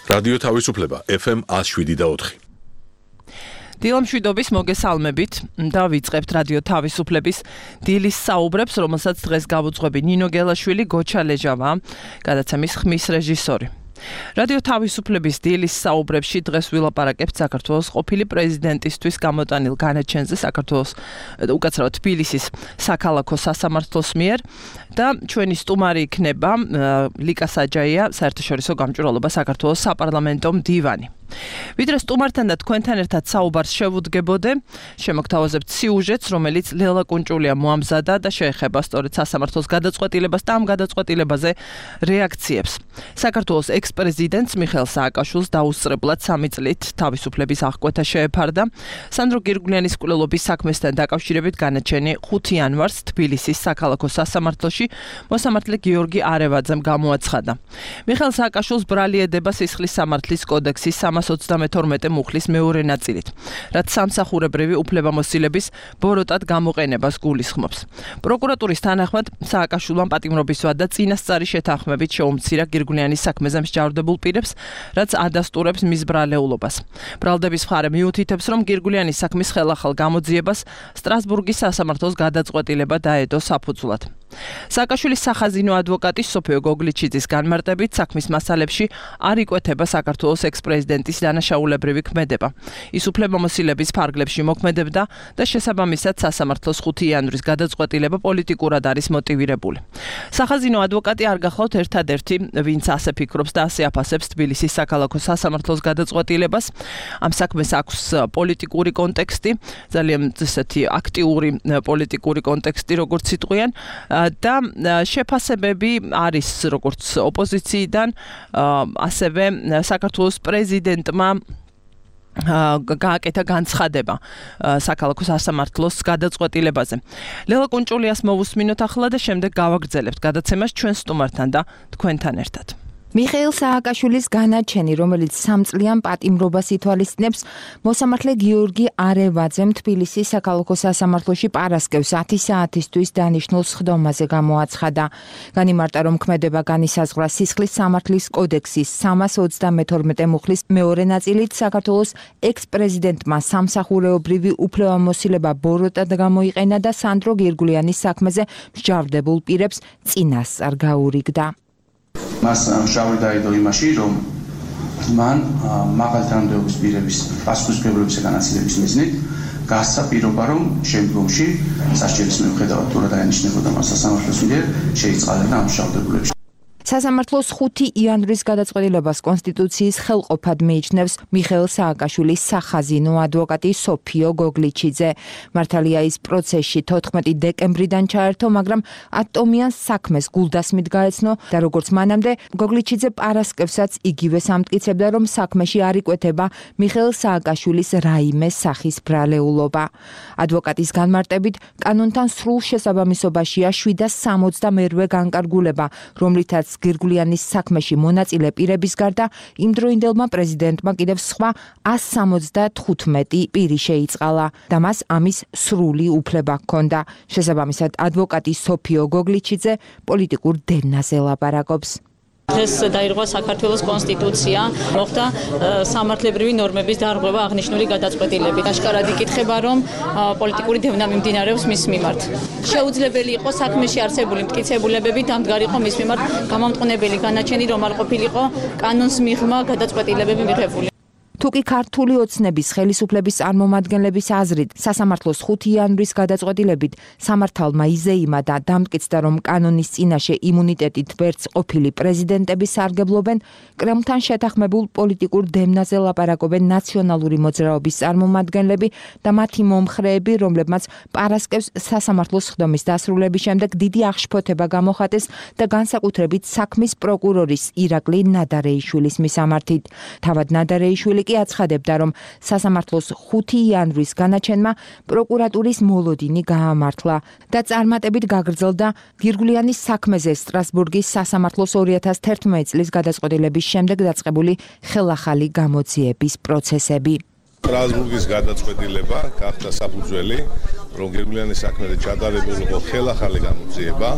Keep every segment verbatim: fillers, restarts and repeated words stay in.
რადიო თავისუფლება ეფ ემ one oh seven point four. დილამშვიდობის მოგესალმებით და ვიწყებთ რადიო თავისუფლების დილის საუბრებს, რომელსაც დღეს გავუძღვები ნინო გელაშვილი, გოჩა ლეჟავა, გადაცემის ხმის რეჟისორი. რადიო თავისუფლების დილის საუბრებში დღეს ვილაპარაკებთ საქართველოს ყოფილი პრეზიდენტისთვის გამოტანილ განაჩენზე საქართველოს უკაცრავად თბილისის საქალაქო სასამართლოს მიერ და ჩვენი სტუმარი იქნება ლიკა საჯაია, საერთაშორისო გამჭვირვალობა საქართველოს საპარლამენტო მდივანი. ვიდრე სტუმართან და თქვენთან ერთად საუბარს შევუდგებოდე, შემოგთავაზებთ სიუჟეტს, რომელიც ლელა კუნჭულია მოამზადა და შეეხება სწორედ სასამართლოს გადაწყვეტილებას და ამ გადაწყვეტილებაზე რეაქციებს. საქართველოს ექს-პრეზიდენტს მიხეილ სააკაშვილს დაუსწრებლად სამი წლით თავისუფლების აღკვეთა შეეფარდა. სანდრო გირგვლიანის მკვლელობის საქმესთან დაკავშირებით განაჩენი ხუთი იანვარს თბილისის საქალაქო სასამართლოში მოსამართლე გიორგი არევაძემ გამოაცხადა. მიხეილ სააკაშვილს ბრალი ედება სისხლის სამართლის კოდექსის სამას ოცდამეთორმეტე მუხლის მეორე ნაწილით, რაც სამსახურებრივი უფლებამოსილების ბოროტად გამოყენებას გულისხმობს. პროკურატურის თანახმად სააკაშვილმა პატიმრობისვა და წინასწარი შეთანხმებით შეუმცირა გირგვლიანის საქმეზე მსჯავრდებულ პირებს, რაც ადასტურებს მის ბრალეულობას. ბრალდების მხარე მიუთითებს, რომ გირგვლიანის საქმის ხელახალ გამოძიებას სტრასბურგის სასამართლოს გადაწყვეტილება დაედო საფუძვლად. სააკაშვილის სახაზინო ადვოკატი სოფიო გოგლიჩიძის განმარტებით საქმის მასალებში არ იკვეთება საქართველოს ექს-პრეზიდენტის დანაშაულებრივი ქმედება. ის უფლებამოსილების ფარგლებში მოქმედებდა და შესაბამისად სასამართლოს ხუთი იანვრის გადაწყვეტილება პოლიტიკურად არის მოტივირებული. სახაზინო ადვოკატი არ გახლავთ ერთადერთი, ვინც ასე ფიქრობს და ასე აფასებს თბილისის საქალაქო სასამართლოს გადაწყვეტილებას. ამ საქმეს აქვს პოლიტიკური კონტექსტი, ძალიან ესეთი აქტიური პოლიტიკური კონტექსტი, როგორც იტყვიან. და შეფასებები არის როგორც ოპოზიციიდან, ასევე საქართველოს პრეზიდენტმა გააკეთა განცხადება საქალაქო სასამართლოს გადაწყვეტილებაზე. ლელა კუნჭულიას მოვუსმინოთ ახლა და შემდეგ გავაგრძელებთ გადაცემას ჩვენ სტუმართან და თქვენთან ერთად. მიხეილ სააკაშვილის განაჩენი, რომელიც სამწლიან პატიმრობას ითვალისწინებს, მოსამართლე გიორგი არევაძემ თბილისის საქალაქო სასამართლოში პარასკევს ათი საათისთვის დანიშნულ სხდომაზე გამოაცხადა. განიმარტა, რომ ქმედება განისაზღვრა სისხლის სამართლის კოდექსის სამას ოცდამეთორმეტე მუხლის მეორე ნაწილით საქართველოს ექს-პრეზიდენტმა სამსახურეობრივი უფლებამოსილება ბოროტად გამოიყენა და სანდრო გირგვლიანის საქმეზე მსჯავრდებულ პირებს წინასწარ გაურიგდა. მას შავი დაიდო იმაში, რომ მან მაღალი თანამდებობის პირების პასუხისმგებლობის განაწილების მიზნით გასცა პირობა, რომ შემდგომში სასჯელის მიუხედავად თუ რა დაენიშნებოდა მას სასამართლოს მიერ შეიწყალება ამ მშავდებულებში. სასამართლოს ხუთი იანვრის გადაწყვეტილებას კონსტიტუციის ხელყოფად მიიჩნევს მიხეილ სააკაშვილის სახაზინო ადვოკატი სოფიო გოგლიჩიძე. მართალია ის პროცესში თოთხმეტი დეკემბრიდან ჩაერთო, მაგრამ ატომიან საქმეს გულდასმით გაეცნო და როგორც მანამდე გოგლიჩიძე პარასკევსაც იგივე ამტკიცებდა, რომ საქმეში არ იკვეთება მიხეილ სააკაშვილის რაიმე სახის ბრალეულობა. ადვოკატის განმარტებით, კანონთან სრულ შესაბამისობაშია შვიდას სამოცდამერვე განკარგულება, რომლითაც გირგვლიანის საქმეში მონაწილე პირების გარდა იმდროინდელმა პრეზიდენტმა კიდევ სხვა ას სამოცდათხუთმეტი პირი შეიწყალა და მას ამის სრული უფლება ჰქონდა. შესაბამისად, ადვოკატი სოფიო გოგლიჩიძე პოლიტიკურ დევნაზე ლაპარაკობს. დღეს დაირღვა საქართველოს კონსტიტუცია, მოხდა სამართლებრივი ნორმების დარღვევა აღნიშნული გადაწყვეტილებით. აშკარად იკითხება, რომ პოლიტიკური დევნა მიმდინარეობს მის მიმართ. შეუძლებელი იყო საქმეში არსებული მტკიცებულებები დამდგარიყო მის მიმართ გამამტყუნებელი განაჩენი, რომ არ ყოფილიყო კანონს მიღმა გადაწყვეტილებები მიღებული. თუკი ქართული ოცნების ხელისუფლების წარმომადგენლების აზრით სასამართლოს ხუთი იანვრის გადაწყვეტილებით სამართალმა იზეიმა და დამტკიცდა, რომ კანონის წინაშე იმუნიტეტით ვერც ყოფილი პრეზიდენტები სარგებლობენ, კრემლთან შეთანხმებულ პოლიტიკურ დევნაზე ლაპარაკობენ ნაციონალური მოძრაობის წარმომადგენლები და მათი მომხრეები, რომლებმაც პარასკევს სასამართლოს სხდომის დასრულების შემდეგ დიდი აღშფოთება გამოხატეს და განსაკუთრებით საქმის პროკურორის ირაკლი ნადარეიშვილის მისამართით. თავად ნადარეიშვილი კი აცხადებდა, რომ სასამართლოს ხუთი იანვრის განაჩენმა პროკურატურის მოლოდინი გაამართლა და წარმატებით გაგრძელდა გირგვლიანის საქმეზე სტრასბურგის სასამართლოს ორი ათას თერთმეტი წლის გადაწყვეტილების შემდეგ დაწყებული ხელახალი გამოძიების პროცესები. სტრასბურგის გადაწყვეტილება გახდა საფუძველი რომ გირგვლიანის საქმეზე ჩატარებულიყო ხელახალი გამოძიება,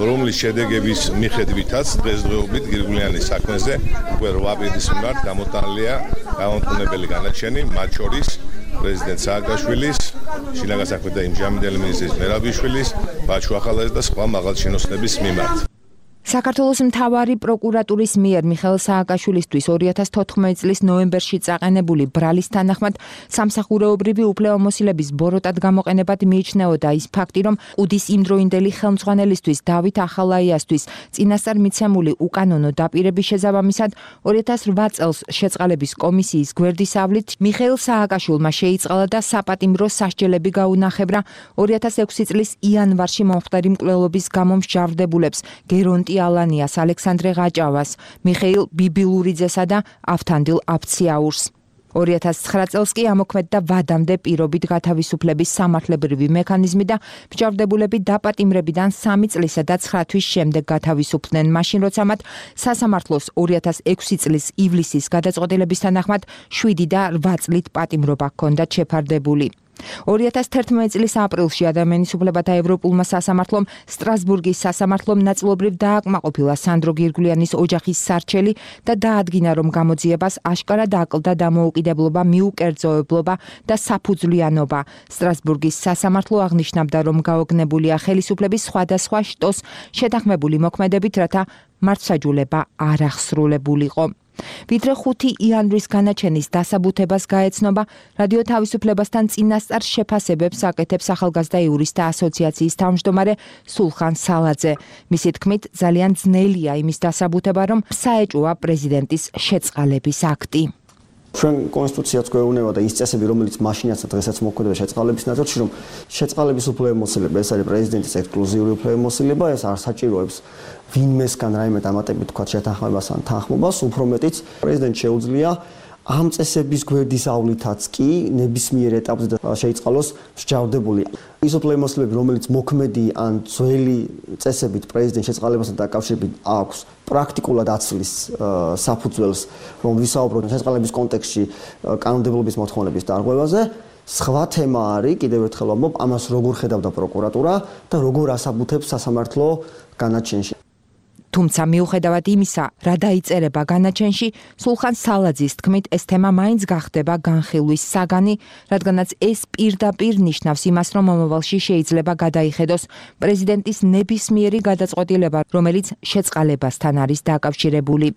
რომლის შედეგების მიხედვითაც დღესდღეობით გირგვლიანის საქმეზე უკვე რვა პირის მიმართ გამოტანილია გამომტყუნებელი განაჩენი, მათ შორის პრეზიდენტ სააკაშვილის, შინაგან საქმეთა იმჟამინდელი მინისტრის მერაბიშვილის, ბაჩუ ახალაძის და სხვა მაღალჩინოსნების მიმართ. საქართველოს მთავარი პროკურატურის მიერ მიხეილ სააკაშვილისთვის ორი ათას თოთხმეტი წლის ნოემბერში წაყენებული ბრალის თანახმად სამსახურეობრივი უფლებამოსილების ბოროტად გამოყენებად მიიჩნეოდა ის ფაქტი, რომ ყუდის იმდროინდელი ხელმძღვანელისთვის დავით ახალაიასთვის წინასწარ მიცემული უკანონო დაპირების შესაბამისად ორი ათას რვა წელს შეწყალების კომისიის გვერდისავლით მიხეილ სააკაშვილმა შეიწყალა და საპატიმრო სასჯელები გაუნახევრა ორი ათას ექვსი წლის იანვარში მომხდარი მკვლელობის გამო მსჯავრდებულებს გერონტი ალანიას, ალექსანდრე ღაჭავას, მიხეილ ბიბილურიძესა და ავთანდილ აფციაურს. ორი ათას ცხრა წელს კი ამოქმედდა ვადამდე პირობით გათავისუფლების სამართლებრივი მექანიზმი და მსჯავრდებულები დაპატიმრებიდან სამი წლისა და ცხრა თვის შემდეგ გათავისუფლდნენ, მაშინ როცა მათ სასამართლოს ორი ათას ექვსი წლის ივლისის გადაწყვეტილების თანახმად შვიდი და რვა წლით პატიმრობა ჰქონდათ შეფარდებული. ორი ათას თერთმეტი წლის აპრილში ადამიანის უფლებათა ევროპულმა სასამართლომ სტრასბურგის სასამართლომ ნაწილობრივ დააკმაყოფილა სანდრო გირგვლიანის ოჯახის სარჩელი და დაადგინა, რომ გამოძიებას აშკარად აკლდა დამოუკიდებლობა, მიუკერძოებლობა და საფუძვლიანობა. სტრასბურგის სასამართლო აღნიშნავდა, რომ გაოგნებულია ხელისუფლების სხვადასხვა შტოს შეთანხმებული მოქმედებით, რათა მართლმსაჯულება არ აღსრულებულიყო. ვიდრე ხუთი იანვრის განაჩენის დასაბუთებას გაეცნობა, რადიო თავისუფლებასთან წინასწარ შეფასებებს აკეთებს ახალგაზრდა იურისტთა ასოციაციის თავმჯდომარე სულხან სალაძე. მისი თქმით, ძალიან ძნელია იმის დასაბუთება, რომ საეჭვოა პრეზიდენტის შეწყალების აქტი. ჩვენ კონსტიტუციაც გვეუბნება და ის წესები, რომელიც მაშინაც და დღესაც მოქმედდება შეწყალების ნაწილში, რომ შეწყალების უფლებამოსილება, ეს არის პრეზიდენტის ექსკლუზიური უფლებამოსილება, ეს არ საჭიროებს ვინმესგან რაიმე დამატებით თქვა შეთანხმებას ან თანხმობას, უფრო მეტიც პრეზიდენტს შეუძლია ამ წესების გვერდისავლითაც კი ნებისმიერ ეტაპზე შეიწყალოს მსჯავრდებული. ის უფლებამოსილები, რომელიც მოქმედი ან ძველი წესებით პრეზიდენტის შეწყალებასთან დაკავშირებით აქვს, პრაქტიკულად აცვლის საფუძველს, რომ ვისაუბროთ შეწყალების კონტექსტში კანონმდებლობის მოთხოვნების დარღვევაზე. სხვა თემა არის, კიდევ ერთხელ ვამბობ, ამას როგორ ხედავდა პროკურატურა და როგორ ასაბუთებს სასამართლო განაჩენში. თუმცა მიუხედავად იმისა, რა დაიწერება განაჩენში, სულხან სალაძის თქმით, ეს თემა მაინც გახდება განხილვის საგანი, რადგანაც ეს პირდაპირ ნიშნავს იმას, რომ მომავალში შეიძლება გადაიხედოს პრეზიდენტის ნებისმიერი გადაწყვეტილება, რომელიც შეწყალებასთან არის დაკავშირებული.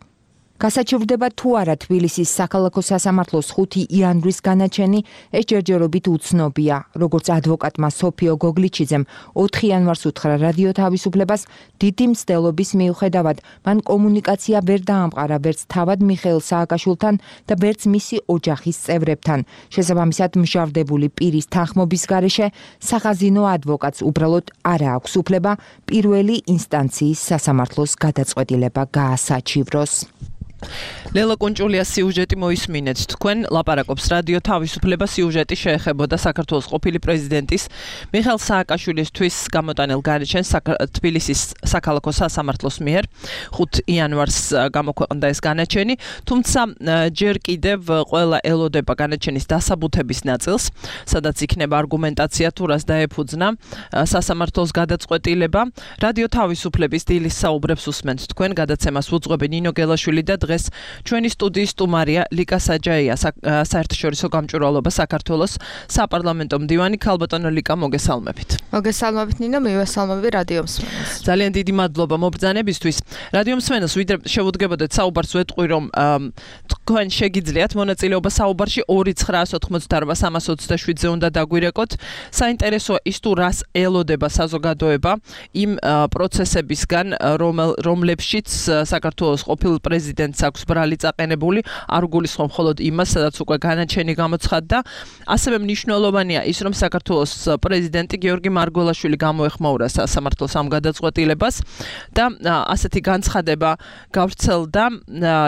გასაჩივრდება თუ არა თბილისის საქალაქო სასამართლოს ხუთი იანვრის განაჩენი, ეს ჯერჯერობით უცნობია. როგორც ადვოკატმა სოფიო გოგლიჩიძემ ოთხი იანვარს უთხრა რადიო თავისუფლებას, დიდი მცდელობის მიუხედავად, მან კომუნიკაცია ვერ დაამყარა ვერც თავად მიხეილ სააკაშვილთან და ვერც მისი ოჯახის წევრებთან. შესაბამისად, მსჯავრდებული პირის თანხმობის გარეშე სახაზინო ადვოკატს უბრალოდ არ აქვს უფლება პირველი ინსტანციის სასამართლოს გადაწყვეტილება გაასაჩივროს. ლელა კუნჭულიას სიუჟეტი მოისმინეთ თქვენ. ლაპარაკობს რადიო თავისუფლება. სიუჟეტი შეეხებოდა საქართველოს ყოფილი პრეზიდენტის მიხეილ სააკაშვილისთვის გამოტანილ განაჩენს თბილისის საქალაქო სასამართლოს მიერ ხუთი იანვარს გამოქვეყნდა ეს განაჩენი, თუმცა ჯერ კიდევ ყველა ელოდება განაჩენის დასაბუთების ნაწილს, სადაც იქნება არგუმენტაცია თუ რას დაეფუძნა სასამართლოს გადაწყვეტილება. რადიო თავისუფლების დილის საუბრებს უსმენთ თქვენ. გადაცემას უძღვები ნინო გელაშვილი და დღეს ჩვენი სტუდიის სტუმარია ლიკა საჯაია, საერთაშორისო გამჭვირვალობა საქართველოს საპარლამენტო მდივანი. ქალბატონო ლიკა, მოგესალმებით. მოგესალმებით ნინო, მივესალმები რადიო მსმენელს. ძალიან დიდი მადლობა მობრძანებისთვის. რადიო მსმენელს ვიდრე შევუდგებოდეთ საუბარს ვეტყვი, რომ თქვენ შეგიძლიათ მონაწილეობა საუბარში ორი ცხრაას ოთხმოცდაარბა სამას ოცდაშვიდზე უნდა დაგვირეკოთ. საინტერესოა ის თუ რას ელოდება საზოგადოება იმ პროცესებისგან, რომლებშიც საქართველოს ყოფილ პრეზიდენტს აქვს ბრალი წაყენებული, არ გულისხმობ მხოლოდ იმას, სადაც უკვე განაჩენი გამოცხადდა. ასევე მნიშვნელოვანია ის, რომ საქართველოს პრეზიდენტი გიორგი მარგველაშვილი გამოეხმაურა სასამართლოს ამ გადაწყვეტილებას და ასეთი განცხადება გავრცელდა.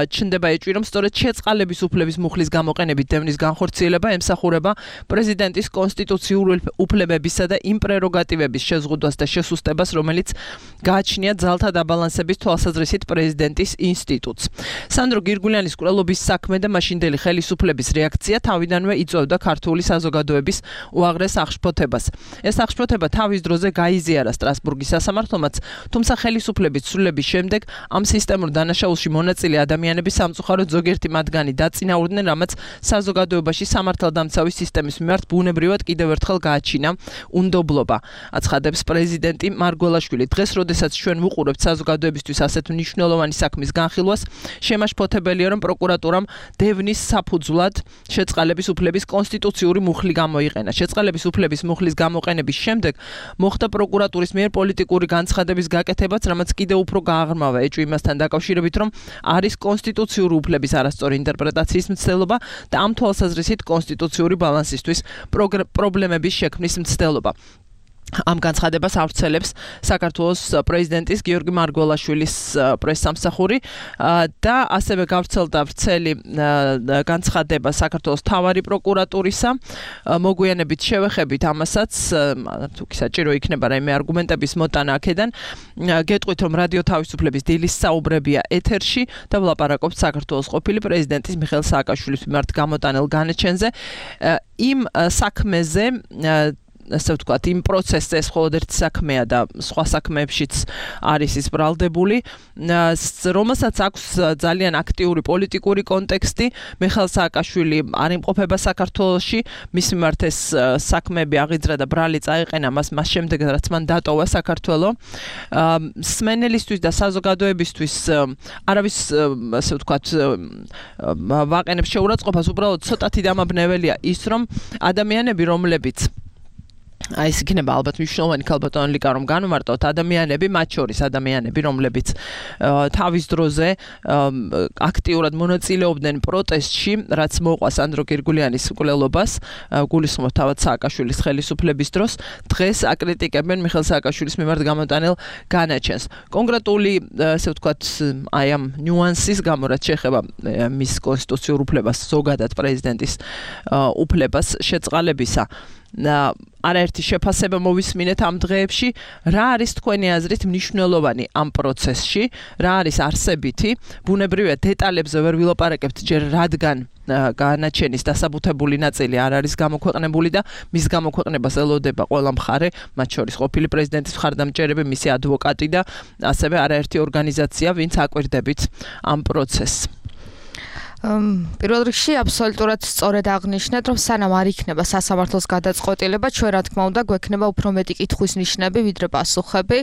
ჩნდება ეჭვი, რომ სწორედ შეწყალების უფლების მუხლის გამოყენებით დევნის განხორციელება ემსახურება პრეზიდენტის კონსტიტუციური უფლებებისა და იმ პრეროგატივების შეზღუდვას და შესუსტებას, რომელიც გააჩნია ძალთა დაბალანსების თვალსაზრისით პრეზიდენტის ინსტიტუტს. სანდრო გირგულიანის კვლელობის საქმე და მაშინდელი ხელისუფლების რეაქცია თავიდანვე იწვევდა ქართული საზოგადოების უაღრეს აღშფოთებას. ეს აღშფოთება თავის დროზე გაიზიარა სტრასბურგის სასამართლომაც, თუმცა ხელისუფლების ცვლილების შემდეგ ამ სისტემურ დანაშაულში მონაწილე ადამიანების სამწუხაროდ ზოგიერთი მათგანი დაწინაურდნენ, რამაც საზოგადოებაში სამართალდამცავი სისტემის მიმართ ბუნებრივად კიდევ ერთხელ გააჩინა უნდობლობა. აცხადებს პრეზიდენტი მარგველაშვილი. დღეს, როდესაც ჩვენ ვუყურებთ საზოგადოებისთვის ასეთ მნიშვნელოვანი საქმის განხილვას, შემაშფოთებელია, რომ პროკურატურამ დევნის საფუძვლად შეწყალების უფლების კონსტიტუციური მუხლი გამოიყენა. შეწყალების უფლების მუხლის გამოყენების შემდეგ მოხდა პროკურატურის მიერ პოლიტიკური განცხადების გაკეთებაც, რამაც კიდევ უფრო გააღრმავა ეჭვი იმასთან დაკავშირებით, რომ არის კონსტიტუციური უფლების არასწორი ინტერპრეტაციის მცდელობა და ამ თვალსაზრისით კონსტიტუციური ბალანსისთვის პრობლემების შექმნის მცდელობა. ამ განცხადებას ავრცელებს საქართველოს პრეზიდენტის გიორგი მარგველაშვილის პრესსამსახური და ასევე გავრცელდა ვრცელი განცხადება საქართველოს მთავარი პროკურატურისა. მოგვიანებით შევეხებით ამასაც, თუ კი საჭირო იქნება რაიმე არგუმენტების მოტანა აქედან, გეტყვით, რომ რადიო თავისუფლების დილის საუბრებია ეთერში და ვლაპარაკობთ საქართველოს ყოფილი პრეზიდენტის მიხეილ სააკაშვილის მიმართ გამოტანილ განაჩენზე. იმ საქმეზე ასე ვთქვათ, იმ პროცესზე ეს მხოლოდ ერთი საქმეა და სხვა საქმეებშიც არის ის ბრალდებული, რომელსაც აქვს ძალიან აქტიური პოლიტიკური კონტექსტი. მიხეილ სააკაშვილი არ იმყოფება საქართველოში, მის მიმართ ეს საქმეები აღიძრა და ბრალი წაეყენა მას მას შემდეგ, რაც მან დატოვა საქართველო. სმენელისთვის და საზოგადოებისთვის არავის ასე ვთქვათ ვაყენებს შეურაცხყოფას, უბრალოდ ცოტათი დამაბნეველია ის, რომ ადამიანები, რომლებიც აი ეს იქნება ალბათ მნიშვნელოვანი ქალბატონი ლიკა რომ განვმარტოთ ადამიანები, მათ შორის ადამიანები, რომლებიც თავის დროზე აქტიურად მონაწილეობდნენ პროტესტში, რაც მოყვა სანდრო გირგულიანის მკვლელობას, გულისხმობ თავად სააკაშვილის ხელისუფლების დროს, დღეს აკრიტიკებენ მიხეილ სააკაშვილის მიმართ გამოტანილ განაჩენს. კონკრეტული, ასე ვთქვათ, აი ამ ნიუანსის გამო, რაც შეეხება მის კონსტიტუციურ უფლებას, ზოგადად პრეზიდენტის უფლებას შეწყალებისა. არაერთი შეფასება მოვისმინეთ ამ დღეებში, რა არის თქვენი აზრით მნიშვნელოვანი ამ პროცესში, რა არის არსებითი, ბუნებრივია დეტალებზე ვერ ვილაპარაკებთ ჯერ, რადგან განაჩენის დასაბუთებული ნაწილი არ არის გამოქვეყნებული და მის გამოქვეყნებას ელოდება ყველა მხარე, მათ შორის ყოფილი პრეზიდენტის მხარდამჭერები, მისი ადვოკატი და ასევე არაერთი ორგანიზაცია, ვინც აკვირდებით ამ პროცესს. პირველ რიგში აბსოლუტურად სწორად აღნიშნეთ, რომ სანამ არ იქნება სასამართლოს გადაწყვეტილება, ჩვენ რა თქმა უნდა გვექნება უფრო მეტი კითხვის ნიშნები, ვიდრე პასუხები.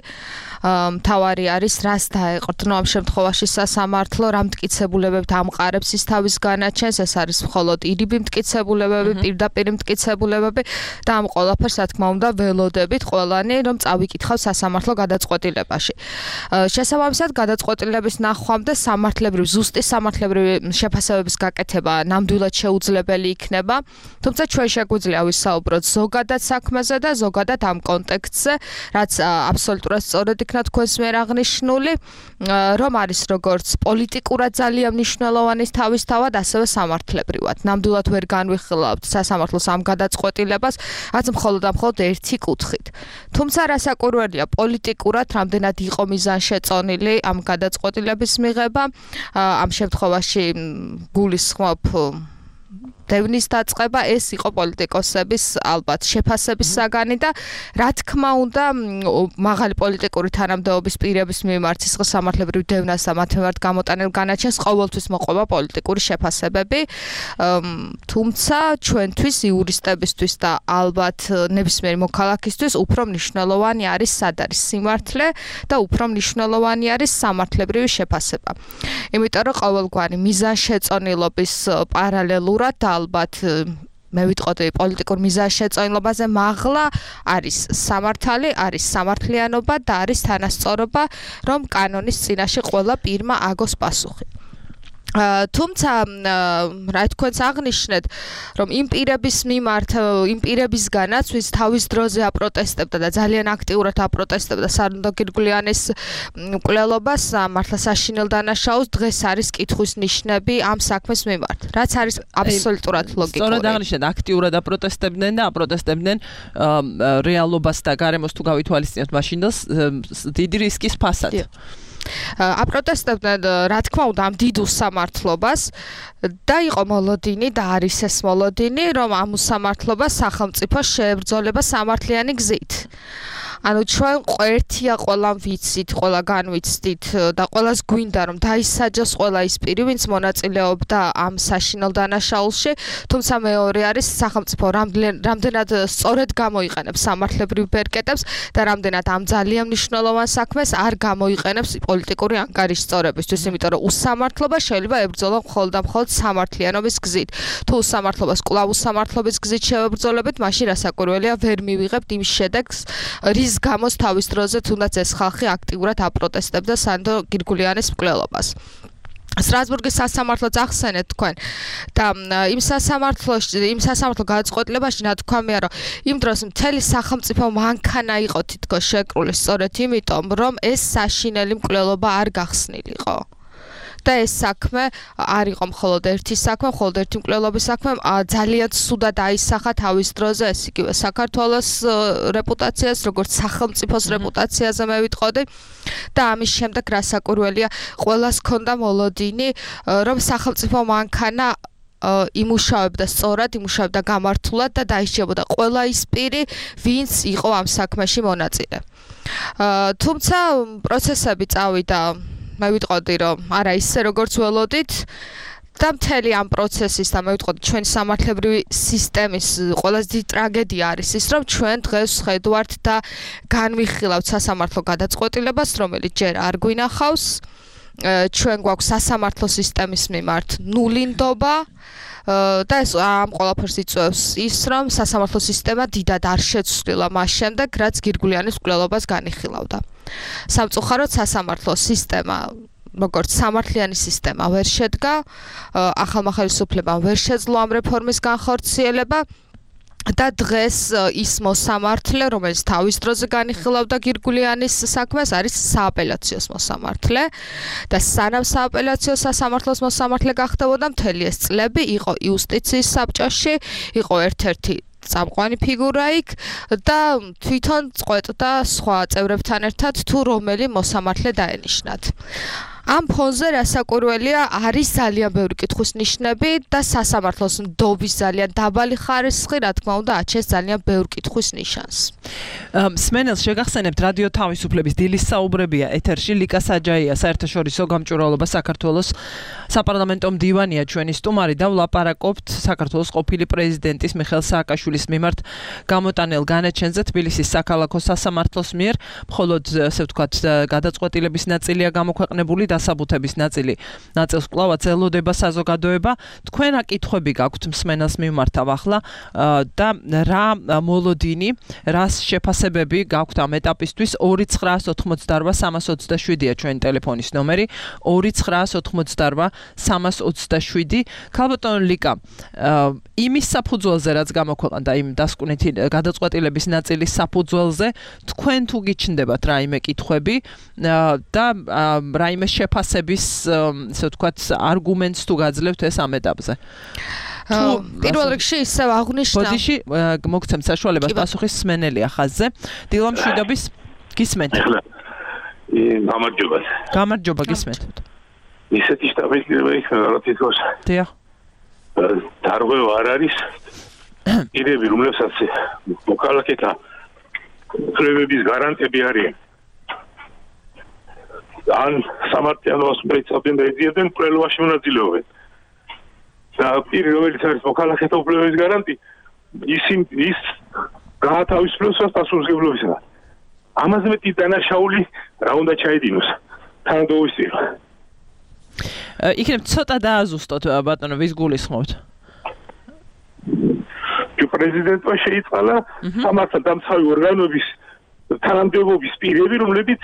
მთავარი არის, რას დაეყრდნო ამ შემთხვევაში სასამართლო, რა მტკიცებულებებით ამყარებს ის თავის განაჩენს, ეს არის მხოლოდ ირიბი მტკიცებულებები, პირდაპირ მტკიცებულებები და ამ ყველაფერს რა თქმა უნდა ველოდებით ყველანი, რომ წავიკითხავ სასამართლო გადაწყვეტილებაში. შესაბამისად, გადაწყვეტილების ნახვამდე სამართლებრივი, ზუსტი სამართლებრივი შეფასებების გაკეთება ნამდვილად შეუძლებელი იქნება, თუმცა ჩვენ შეგვიძლია ვისაუბროთ ზოგადად საქმეზე და ზოგადად ამ კონტექსტზე, რაც აბსოლუტურად სწორედ იქნა თქვენს მიერ აღნიშნული, რომ არის როგორც პოლიტიკურად ძალიან მნიშვნელოვანი თავისთავად, ასევე სამართლებრივად. ნამდვილად ვერ განვიხილავთ სასამართლოს ამ გადაწყვეტილებას, რაც მხოლოდ და მხოლოდ ერთი კუთხით. თუმცა რასაკვირველია, პოლიტიკურად რამდენად იყო მიზანშეწონილი ამ გადაწყვეტილების მიღება, ამ შემთხვევაში გულისხმობ დევნის დაწყება, ეს იყო პოლიტიკოსების ალბათ შეფასების საგანი და რა თქმა უნდა მაღალი პოლიტიკური თანამდებობის პირების მიმართ სისხლის სამართლებრივ დევნას და მათ მიმართ გამოტანილ განაჩენს ყოველთვის მოყვება პოლიტიკური შეფასებები, თუმცა ჩვენთვის იურისტებისთვის და ალბათ ნებისმიერი მოქალაქისთვის უფრო მნიშვნელოვანი არის სად არის სიმართლე და უფრო მნიშვნელოვანი არის სამართლებრივი შეფასება. იმიტომ რომ ყოველგვარი მიზანშეწონილობის პარალელურად ალბათ მე ვიტყოდი პოლიტიკურ მიზანშეწონილობაზე მაღლა არის სამართალი, არის სამართლიანობა და არის თანასწორობა, რომ კანონის წინაშე ყველა პირმა აგოს პასუხი. თუმცა რა თქვენს აღნიშნეთ, რომ იმ პირების მიმართ, იმ პირებისგანაც, ვის თავის დროზე აპროტესტებდა და ძალიან აქტიურად აპროტესტებდა სანდრო გირგულიანის მკვლელობას, მართლა საშინელ დანაშაულს, დღეს არის კითხვის ნიშნები ამ საქმის მიმართ, რაც არის აბსოლუტურად ლოგიკური. სწორად აღნიშნეთ, აქტიურად აპროტესტებდნენ და აპროტესტებდნენ რეალობას და გარემოს თუ გავითვალისწინებთ მაშინ დიდი რისკის ფასად. აპროტესტებდნენ რა თქმა უნდა ამ დიდ უსამართლობას და იყო მოლოდინი და არის ეს მოლოდინი რომ ამ უსამართლობას სახელმწიფო შეებრძოლება სამართლიანი გზით. ანუ ჩვენ ერთია ყველამ ვიცით, ყველა განვიცდით და ყველას გვინდა რომ დაისაჯოს ყველა ის პირი, ვინც მონაწილეობდა ამ საშინელ დანაშაულში, თუმცა მეორე არის სახელმწიფო რამდენად სწორედ გამოიყენებს სამართლებრივ ბერკეტებს და რამდენად ამ ძალიან მნიშვნელოვან საქმეს არ გამოიყენებს პოლიტიკური ანგარიშსწორებისთვის, იმიტომ რომ უსამართლობა შეიძლება ებრძოლო მხოლოდ და მხოლოდ სამართლიანობის გზით. თუ უსამართლობას კვლავ უსამართლობის გზით შევებრძოლებით, მაშინ რასაკვირველია ვერ მივიღებთ იმ შედეგს, რის გამოს თავის დროზე თუნდაც ეს ხალხი აქტიურად აპროტესტებდა სანდო გირგულიანის მკვლელობას. სტრასბურგის სასამართლოც ახსენეთ თქვენ და იმ სასამართლოში, იმ სასამართლო გადაწყვეტილებაში ნათქვამია, რომ იმ დროს მთელი სახელმწიფო მანქანა იყო თითქოს შეკრული სწორედ იმიტომ, რომ ეს საშინელი მკვლელობა არ გახსნილიყო. და ეს საქმე არ იყო მხოლოდ ერთი საქმე, მხოლოდ ერთი მკვლელობის საქმე, ძალიან ცუდად აისახა თავის დროზე ეს იგივე საქართველოს რეპუტაციას, როგორც სახელმწიფოს რეპუტაციაზე მე ვიტყოდი და ამის შემდეგ რასაკვირველია, ყველას ჰქონდა მოლოდინი, რომ სახელმწიფო მანქანა იმუშავებდა სწორად, იმუშავებდა გამართულად და დაიშიებოდა ყველა ის პირი, ვინც იყო ამ საქმეში მონაწილე. თუმცა პროცესები წავიდა მე ვიტყოდი რომ არა ისე როგორც ველოდით და მთელი ამ პროცესის და მე ვიტყოდი ჩვენი სამართლებრივი სისტემის ყველაზე დიდი ტრაგედია არის ის რომ ჩვენ დღეს ხედავთ და განვიხილავთ სასამართლო გადაწყვეტილებას რომელიც ჯერ არ გვინახავს ჩვენ გვაქვს სასამართლო სისტემის მიმართ ნული ნდობა და ეს ამ ყველაფერს იწვევს ის რომ სასამართლო სისტემა დიდად არ შეცვლილა მას შემდეგ რაც გირგულიანის მკვლელობას განიხილავდა. სამწუხაროდ სასამართლო სისტემა როგორც სამართლიანი სისტემა ვერ შედგა, ახალმა ხელისუფლებამ ვერ შეძლო ამ რეფორმის განხორციელება და დღეს ის მოსამართლე, რომელიც თავის დროზე განიხილავდა გირგულიანის საქმეს, არის სააპელაციოს მოსამართლე და სანამ სააპელაციო სასამართლოს მოსამართლე გახდებოდა მთელი ეს წლები იყო იუსტიციის საბჭოში, იყო ერთ-ერთი წამყვანი ფიგურა იქ და თვითონ წყვეტდა სხვა წევრებთან ერთად თუ რომელი მოსამართლე დაენიშნათ. ამ ფონზე რასაკვირველია არის ძალიან ბევრი კითხვის ნიშნები და სასამართლოს ნდობის ძალიან დაბალი ხარისხი, რა თქმა უნდა, აჩენს ძალიან ბევრ კითხვის ნიშანს. სმენელს შეგახსენებთ რადიო თავისუფლების დილის საუბრებია ეთერში ლიკა საჯაია, საერთაშორისო გამჭვირვალობა საქართველოს საპარლამენტო მდივანია ჩვენი სტუმარი და ვლაპარაკობთ საქართველოს ყოფილი პრეზიდენტის მიხეილ სააკაშვილის მიმართ გამოტანილ განაჩენზე თბილისის საქალაქო სასამართლოს მიერ, მხოლოდ ასე ვთქვათ გადაწყვეტილების ნაწილია გამოქვეყნებული დასაბუთების ნაწილი ნაწილს კვლავაც ელოდება საზოგადოება. თქვენ რა კითხვები გაქვთ მსმენელს მიმართავ ახლა და რა მოლოდინი, რას შეფასებები გაქვთ ამ ეტაპისთვის? ორი ცხრაას ოთხმოცდაორვა სამას ოცდაშვიდია ჩვენი ტელეფონის ნომერი, ორი ცხრაას ოთხმოცდაორვა სამას ოცდაშვიდი. ქალბატონო ლიკა, იმის საფუძველზე რაც გამოქვეყნდა იმ დასკვნითი გადაწყვეტილების ნაწილის საფუძველზე, თქვენ თუ გიჩნდებათ რაიმე კითხვები და რაიმე შეფასების, ასე ვთქვათ, არგუმენტს თუ გაძლევთ ეს ამ ეტაპზე. პირველ რიგში ისევ აღნიშნა. ბოდიში მოგცემთ საშუალებას პასუხის სმენელია ხაზზე. დილა მშვიდობის გისმენთ. გამარჯობა. გამარჯობა გისმენთ. ისეთი შტაბის-პირობა იქნება რა თითქოს. დიახ. დარღვევა არ არის. პირები რომლებსაც მოქალაქეთა უფლებების გარანტები არიან. ან სამართლიანობას მეცავდნენ და ეზიებდნენ მკვლელობაში მონაწილეობენ. და პირი რომელიც არის მოქალაქეთა უფლებების გარანტი, ისინ ის გაათავისუფლებს პასუხისმგებლობისგან. ამაზე მეტი დანაშაული რა უნდა ჩაედინოს თანადობის პირ. იქნებ ცოტა დააზუსტოთ ბატონო, ვის გულისხმობთ? პრეზიდენტმა შეიწყალა სამართალდამცავი ორგანოების თანამდებობის პირები, რომლებიც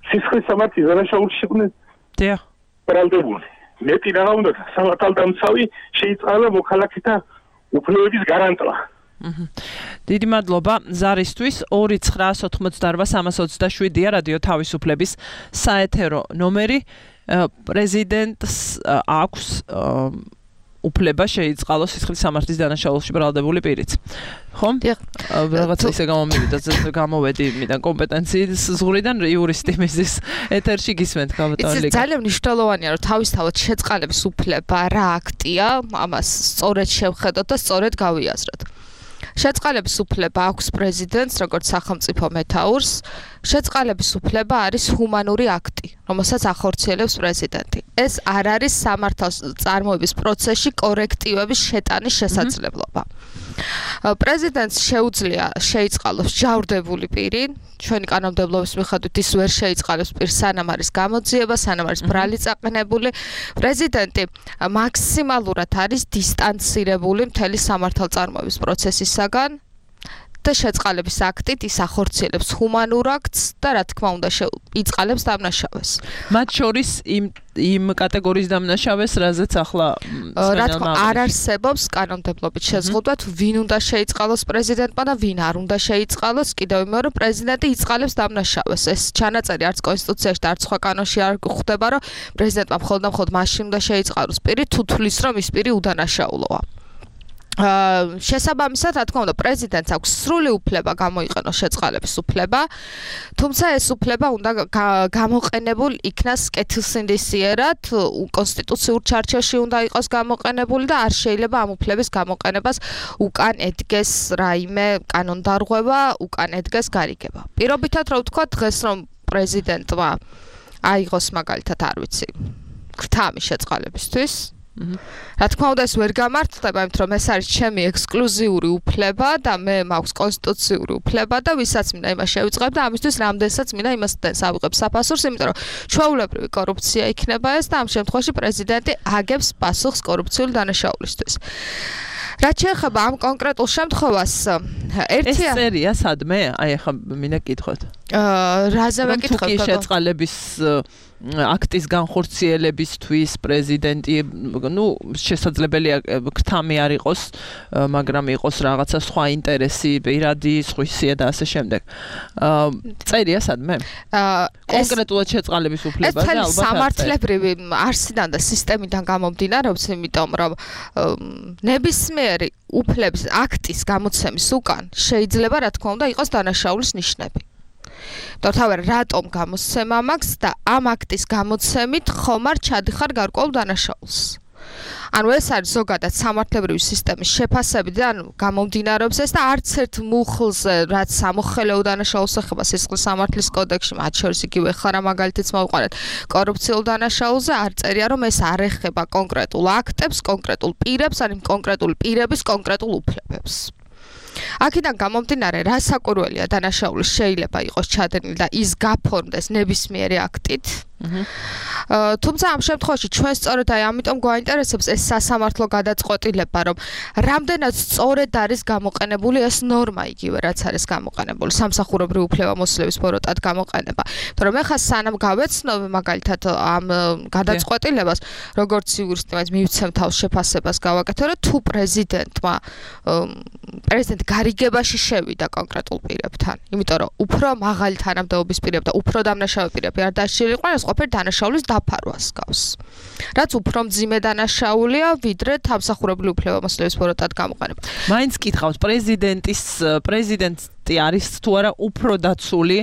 სისხლის სამართლის დანაშაულში იყვნენ დიახ ბრალდებული. მეტი რა უნდა სამართალდამცავი შეიწყალა მოქალაქეთა უფლებების გარანტვა. დიდი მადლობა ზარისთვის. ორი ცხრაას ოთხმოცდაორვა სამას ოცდაშვიდია რადიო თავისუფლების საეთერო ნომერი. პრეზიდენტს აქვს უფლება შეიწყალოს სისხლის სამართლის დანაშაულში ბრალდებული პირიც. ხო? რაღაცა ისე გამომივიდა, გამოვედი იმიდან კომპეტენციის ზღვრიდან იურისტი მიზის ეთერში გისმენთ გავატარლიკა. ეს ძალიან მნიშვნელოვანია, რომ თავისთავად შეწყალების უფლება რა აქტია, ამას სწორედ შევხედოთ და სწორედ გავიაზროთ. შეწყალების უფლება აქვს პრეზიდენტს, როგორც სახელმწიფო მეთაურს. შეწყალების უფლება არის ჰუმანური აქტი, რომელსაც ახორციელებს პრეზიდენტი. ეს არ არის სამართალს წარმოების პროცესში კორექტივების შეტანის შესაძლებლობა. პრეზიდენტს შეუძლია შეიწყალოს ჯავრდებული პირი, ჩვენი კანონმდებლობის მიხედვით ის ვერ შეიწყალოს პირს, სანამ არის გამოძიება, სანამ არის ბრალი წაყენებული. პრეზიდენტი მაქსიმალურად არის დისტანცირებული მთელი სამართალწარმოების პროცესისაგან და შეწყალების აქტით ის ახორციელებს ჰუმანურ აქტს და რა თქმა უნდა იწყალებს დამნაშავეს. მათ შორის იმ იმ კატეგორიის დამნაშავეს, რაზეც ახლა რა თქმა არ არსებობს კანონმდებლობით შეზღუდვა, თუ ვინ უნდა შეიწყალოს პრეზიდენტმა და ვინ არ უნდა შეიწყალოს. კიდევ იმეორე, რომ პრეზიდენტი იწყალებს დამნაშავეს. ეს ჩანაწერი არც კონსტიტუციაში და არც სხვა კანონში არ გვხვდება, რომ პრეზიდენტმა მხოლოდ და მხოლოდ მაშინ უნდა შეიწყალოს პირი, თუ თulis რომ ის პირი უდანაშაულოა. აა შესაბამისად, რა თქმა უნდა, პრეზიდენტს აქვს სრული უფლება გამოიყენოს შეწყალების უფლება, თუმცა ეს უფლება უნდა გამოყენებულ იქნას კეთილსინდისიერად, კონსტიტუციურ ჩარჩოში უნდა იყოს გამოყენებული და არ შეიძლება ამ უფლების გამოყენებას უკან ედგეს რაიმე კანონდარღვევა, უკან ედგეს გარიგება. პირობითად რო ვთქვა დღეს რომ პრეზიდენტმა აიღოს მაგალითად არ ვიცი, გრთამი შეწყალებისთვის რა თქმა უნდა ეს ვერ გამართლდება, იმიტომ რომ ეს არის ჩემი ექსკლუზიური უფლება და მე მაქვს კონსტიტუციური უფლება და ვისაც მინდა იმას შევიწყებ და ამისთვის რამდენსაც მინდა იმას ავიღებ საფასურს, იმიტომ რომ ჩვეულებრივი კორუფცია იქნება ეს და ამ შემთხვევაში პრეზიდენტი აგებს პასუხს კორუფციული დანაშაულისთვის. რაც შეეხება ამ კონკრეტულ შემთხვევას, ერთია ეს წერია სადმე? აი ახლა მინდა გკითხოთ. აა რაზე ვეკითხოთ? თუ კი შეწყალების აქტის განხორციელებისთვის პრეზიდენტი, ну, შესაძლებელია გრთამი არ იყოს, მაგრამ იყოს რაღაცა სხვა ინტერესი, პირადი, სხვისია და ასე შემდეგ. აა წერია სადმე? აა კონკრეტულად შეწყალების უფლებაზე ალბათ. ეს სამართლებრივი არსიდან და სისტემიდან გამომდინარეობს, იმიტომ რომ ნებისმიერი უფლების აქტის გამოცემის უკან შეიძლება რა თქმა უნდა იყოს დანაშაულის ნიშნები. თორთავარ რატომ გამოსცემა მაქვს და ამ აქტის გამოცემით ხომ არ ჩადიხარ გარკვეულ დანაშაულს. ანუ ეს არის ზოგადად სამართლებრივი სისტემის შეფასებიდან გამომდინარეობს ეს და არც ერთ მუხლზე, რაც სამოხელეო დანაშაულს ეხება სისხლის სამართლის კოდექსში, მათ შორის იგივე ხარა მაგალითიც მოვყარეთ კორუფციულ დანაშაულზე, არ წერია რომ ეს არ ეხება კონკრეტულ აქტებს, კონკრეტულ პირებს, ან კონკრეტული პირების კონკრეტულ უფლებებს. აქედან გამომდინარე, რა საკურველია დანაშაული შეიძლება იყოს ჩადენილი და ის გაფორმდეს ნებისმიერი აქტით. თუმცა ამ შემთხვევაში ჩვენ სწორედ აი ამიტომ გვაინტერესებს ეს სასამართლო გადაწყვეტილება, რომ რამდენად სწორედ არის გამოყენებული ეს ნორმა იგივე, რაც არის გამოყენებული სამსახურებრივი უფლებამოსილების ბოროტად გამოყენება. იმიტომ რომ ეხლა სანამ გავეცნობ მაგალითად ამ გადაწყვეტილებას, როგორც იურისტი, მაინც მივცემ თავს შეფასებას გავაკეთო, რომ თუ პრეზიდენტმა პრეზიდენტი გარიგებაში შევიდა კონკრეტულ პირებთან, იმიტომ რომ უფრო მაღალი თანამდებობის პირები და უფრო დამნაშავე პირები არ დაშლიყვნენ, ეს ყოფილი დანაშაულის დაფარვას გავს. რაც უფრო მძიმე დანაშაულია, ვიდრე სამსახურებრივი უფლებამოსილების ბოროტად გამოყენება. მაინც კითხავს პრეზიდენტის პრეზიდენტი არის თუ არა უფრო დაცული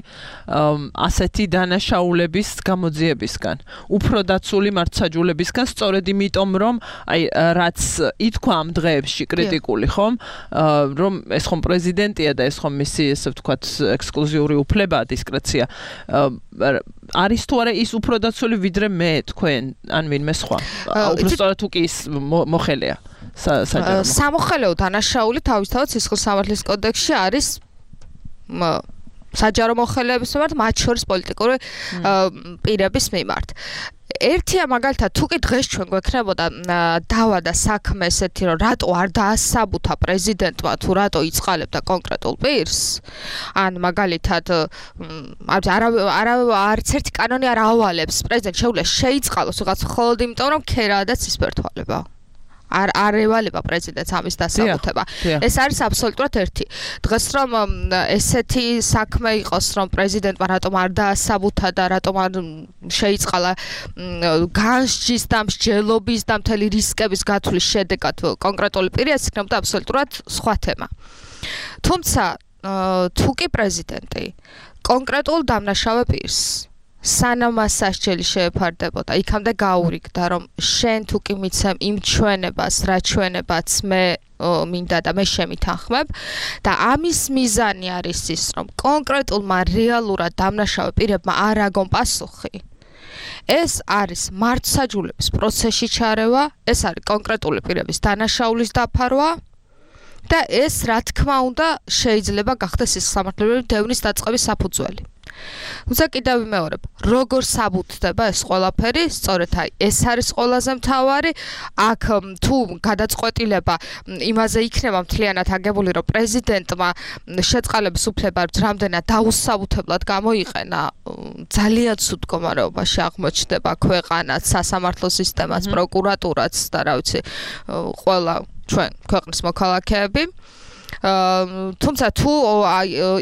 ასეთი დანაშაულების გამოძიებისგან, უფრო დაცული მართლმსაჯულებისგან, სწორედ იმიტომ რომ აი რაც ითქვა ამ დღეებში კრიტიკული ხომ, რომ ეს ხომ პრეზიდენტია და ეს ხომ მისი ესე ვთქვათ ექსკლუზიური უფლებაა, დისკრეცია. არის თუ არა ის უფრო დაცული ვიდრე მე თქვენ ან ვინმე სხვა? უფრო სწორად თუ კი ის მოხელეა. სამოხელეო დანაშაული თავისთავად სისხლის სამართლის კოდექსში არის საჯარო მოხელეების მიმართ, მათ შორის პოლიტიკური პირების მიმართ. ერთია მაგალითად თუ კი დღეს ჩვენ გვექნებოდა დავა და საქმე ესეთი რომ რატო არ დაასაბუთა პრეზიდენტმა თუ რატო იწყალებდა კონკრეტულ პირს, ან მაგალითად არა არც ერთი კანონი არ ავალებს პრეზიდენტს შეუძლია შეიწყალოს ვიღაც მხოლოდ იმიტომ რომ ქერაა და ცისფერთვალება. არ არ ევალება პრეზიდენტს ამის დასაბუთება. ეს არის აბსოლუტურად ერთი. დღეს რომ ესეთი საქმე იყოს, რომ პრეზიდენტმა რატომ არ დაასაბუთა და რატომ არ შეიწყალა განსჯის და მსჯელობის და მთელი რისკების გათვლის შედეგად კონკრეტული პირი, ეს იქნებოდა აბსოლუტურად სხვა თემა. თუმცა თუ კი პრეზიდენტი კონკრეტულ დამნაშავე პირს სანამ მას სასჯელი შეეფარდებოდა, იქამდე გაურიგდა, რომ შენ თუ კი მიცემ იმ ჩვენებას, რა ჩვენებაც მე მინდა და მე შემითანხმებ და ამის მიზანი არის ის, რომ კონკრეტულმა რეალურად დამნაშავე პირებმა არ აგონ პასუხი. ეს არის მართლმსაჯულების პროცესში ჩარევა, ეს არის კონკრეტული პირების დანაშაულის დაფარვა და ეს, რა თქმა უნდა, შეიძლება გახდეს სისხლისამართლებელი დევნის დაწყების საფუძველი. თუმცა კიდევ ვიმეორებ, როგორ საბუთდება ეს ყველაფერი, სწორედ აი ეს არის ყველაზე მთავარი. აქ თუ გადაწყვეტილება იმაზე იქნება მთლიანად აგებული, რომ პრეზიდენტმა შეწყალების უფლება რამდენად დაუსაბუთებლად გამოიყენა, ძალიან ცუდ მდგომარეობაში აღმოჩნდება ქვეყანაც, სასამართლო სისტემაც, პროკურატურაც და რა ვიცი, ყველა ჩვენ ქვეყნის მოქალაქეები. თუმცა თუ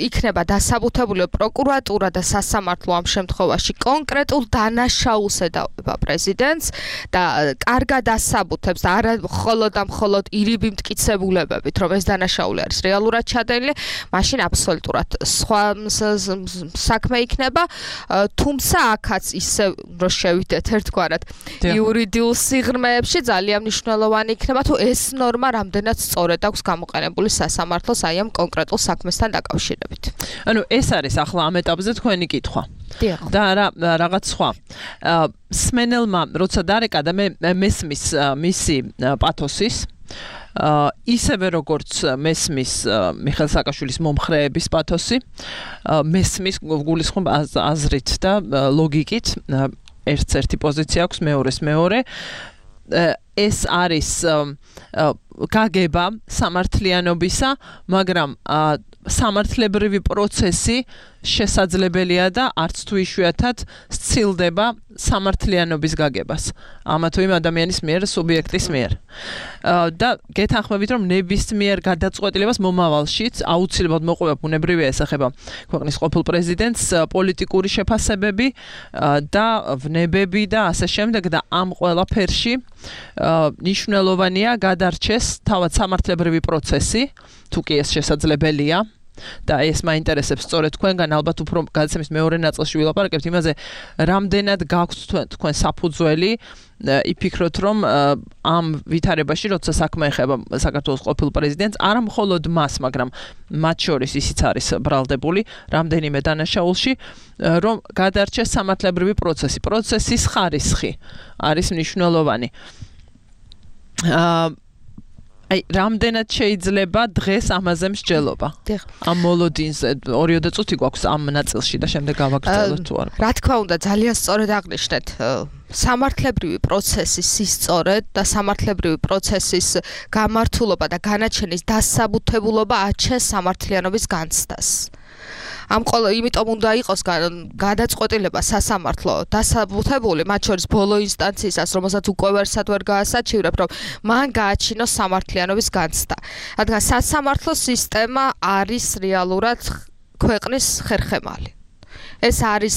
იქნება დასაბუთებული პროკურატურა და სასამართლო ამ შემთხვევაში კონკრეტულ დანაშაულს ედავება პრეზიდენტს და კარგად ასაბუთებს და არა მხოლოდ და მხოლოდ ირიბი მტკიცებულებებით, რომ ეს დანაშაული არის რეალურად ჩადენილი, მაშინ აბსოლუტურად სხვა საქმე იქნება. თუმცა აქაც ისე რომ შევიდეთ ერთგვარად იურიდიულ სიღრმეებში ძალიან მნიშვნელოვანი იქნება, თუ ეს ნორმა რამდენად სწორად აქვს გამოყენებული სასამართლოს აი ამ კონკრეტულ საქმესთან დაკავშირებით. ანუ ეს არის ახლა ამ ეტაპზე თქვენი კითხვა. და რა რაღაც სხვა. სმენელმა როცა დარეკა და მე მესმის მისი პათოსის ისევე როგორც მესმის მიხეილ სააკაშვილის მომხრეების პათოსი, მესმის გულისხმობ აზრით და ლოგიკით ერთს ერთი პოზიცია აქვს, მეორეს მეორე. ეს არის გაგება სამართლიანობისა, მაგრამ სამართლებრივი პროცესი შესაძლებელია და არც თუ იშვიათად სცილდება სამართლიანობის გაგებას. ამა თუ იმ ადამიანის მიერ, სუბიექტის მიერ. და გეთანხმებით, რომ ნებისმიერ გადაწყვეტილებას მომავალშიც აუცილებლად მოყვება ბუნებრივია ესახება ქვეყნის ყოფილ პრეზიდენტს პოლიტიკური შეფასებები და ვნებები და ასე შემდეგ და ამ ყველაფერში ნიშნულოვანია გადარჩეს თავად სამართლებრივი პროცესი, თუ კი ეს შესაძლებელია. და ეს მაინტერესებს სწორედ თქვენგან, ალბათ უფრო გადაცემის მეორე ნაწილში ვილაპარაკებთ იმაზე, რამდენად გაქვთ თქვენ საფუძველი იფიქროთ, რომ ამ ვითარებაში, როცა საქმე ეხება საქართველოს ყოფილ პრეზიდენტს, არა მხოლოდ მას, მაგრამ მათ შორის ისიც არის ბრალდებული რამდენიმე დანაშაულში, რომ გადარჩეს სამართლებრივი პროცესი. პროცესის ხარისხი არის მნიშვნელოვანი. აა აი, რამდენად შეიძლება დღეს ამაზე მსჯელობა? ამ მოლოდინზე ორიოდე წუთი გვაქვს ამ ნაწილში და შემდეგ გავაგრძელოთ თუ არა. რა თქმა უნდა, ძალიან სწორად აღნიშნეთ. სამართლებრივი პროცესის სისწორე და სამართლებრივი პროცესის გამართულობა და განაჩენის დასაბუთებულობა აჩენს სამართლიანობის განცდას. ამ ყოველ იმიტომ უნდა იყოს გადაწყვეტილება სასამართლო დასაბუთებული, მათ შორის ბოლო ინსტანციისას, რომელსაც უკვე ვერსად ვერ გაასაჩივრებ, რომ მან გააჩინოს სამართლიანობის განცდა. რადგან სასამართლო სისტემა არის რეალურად ქვეყნის ხერხემალი. ეს არის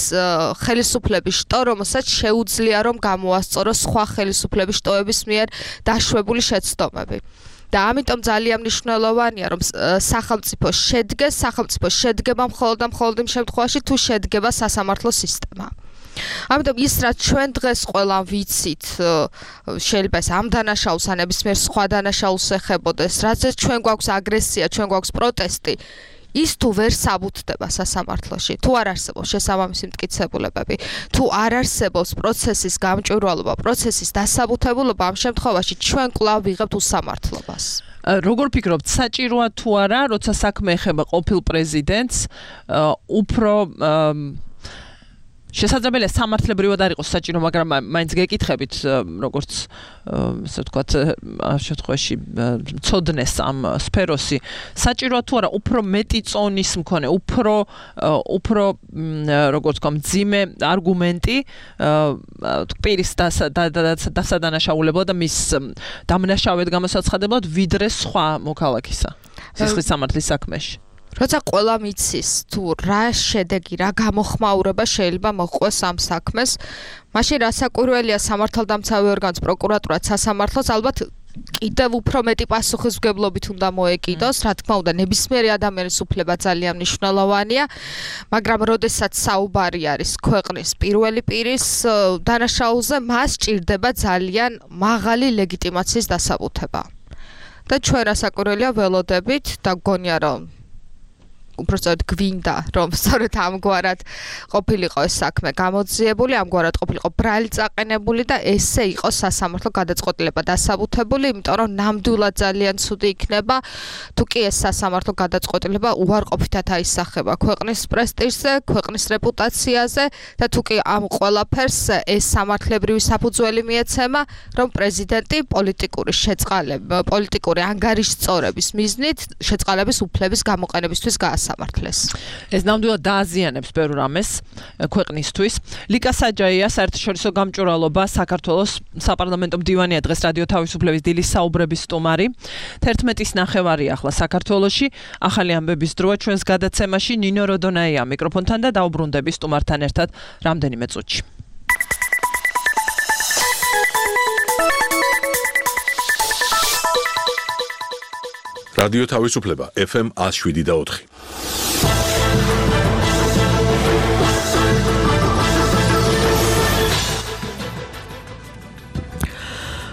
ხელისუფლების შტო, რომელსაც შეუძლია რომ გამოასწოროს სხვა ხელისუფლების შტოების მიერ დაშვებული შეცდომები. და ამიტომ ძალიან მნიშვნელოვანია, რომ სახელმწიფო შედგეს, სახელმწიფო შედგება მხოლოდ და მხოლოდ იმ შემთხვევაში, თუ შედგება სასამართლო სისტემა. ამიტომ ის, რაც ჩვენ დღეს ყველა ვიცით, შეიძლება ეს ამ დანაშაულს ან ნებისმიერ სხვა დანაშაულს ეხებოდეს, რაც ჩვენ გვაქვს აგრესია, ჩვენ გვაქვს პროტესტი, ის თუ ვერ საბუთდება სასამართლოში, თუ არ არსებობს შესაბამისი მტკიცებულებები, თუ არ არსებობს პროცესის გამჭვირვალობა, პროცესის დასაბუთებულობა, ამ შემთხვევაში ჩვენ კვლავ ვიღებთ უსამართლობას. როგორ ფიქრობთ, საჭიროა თუ არა, როცა საქმე ეხება ყოფილ პრეზიდენტს, უფრო შესაძლებელია სამართლებრივად არ იყოს საჭირო, მაგრამ მაინც გეკითხებით, როგორც ასე ვთქვათ, ამ შემთხვევაში ცოდნეს ამ სფეროსი, საჭიროა თუ არა უფრო მეტი წონის მქონე, უფრო უფრო როგორც ვთქვათ, მძიმე არგუმენტი პირის დასადანაშაულებად და მის დამნაშავედ გამოსაცხადებლად, ვიდრე სხვა მოქალაქისა სისხლის სამართლის საქმეში. როცა ყველა მიცის თუ რა შედეგი, რა გამოხმაურება შეიძლება მოჰყვეს ამ საქმეს, მაშინ რასაკვირველია სამართალდამცავი ორგანოს პროკურატურაც სასამართლოს ალბათ კიდევ უფრო მეტი პასუხისმგებლობით უნდა მოეკიდოს, რა თქმა უნდა, ნებისმიერი ადამიანის უფლება ძალიან მნიშვნელოვანია, მაგრამ როდესაც საუბარი არის ქვეყნის პირველი პირის დანაშაულზე, მას სჭირდება ძალიან მაღალი ლეგიტიმაციის დასაბუთება. და ჩვენ რასაკვირველია ველოდებით და გონია რომ უბრალოდ გვინდა რომ სწორედ ამგვარად ყოფილიყო ეს საქმე გამოძიებული, ამგვარად ყოფილიყო ბრალი წაყენებული და ესე იყოს სასამართლო გადაწყვეტილება დასაბუთებული, იმიტომ რომ ნამდვილად ძალიან ცუდი იქნება თუ კი ეს სასამართლო გადაწყვეტილება უარყოფითად აისახება ქვეყნის პრესტიჟზე, ქვეყნის რეპუტაციაზე და თუ კი ამ ყველაფერს ეს სამართლებრივი საფუძველი მიეცემა, რომ პრეზიდენტი პოლიტიკური შეწყალება, პოლიტიკური ანგარიშწორების მიზნით შეწყალების უფლების გამოყენებისთვის გაასამართლეს. ეს ნამდვილად დააზიანებს ბევრ რამეს ქვეყნისთვის. ლიკა საჯაია, საერთაშორისო გამჭვირვალობა საქართველოს საპარლამენტო მდივანია, დღეს რადიო თავისუფლების დილის საუბრების სტუმარი. თერთმეტის ნახევარი ახლა საქართველოში, ახალი ამბების დროა ჩვენს გადაცემაში. ნინო როდონაია მიკროფონთან და დაუბრუნდები სტუმართან ერთად რამდენიმე წუთში. რადიო თავისუფლება ეფ ემ one oh seven და four.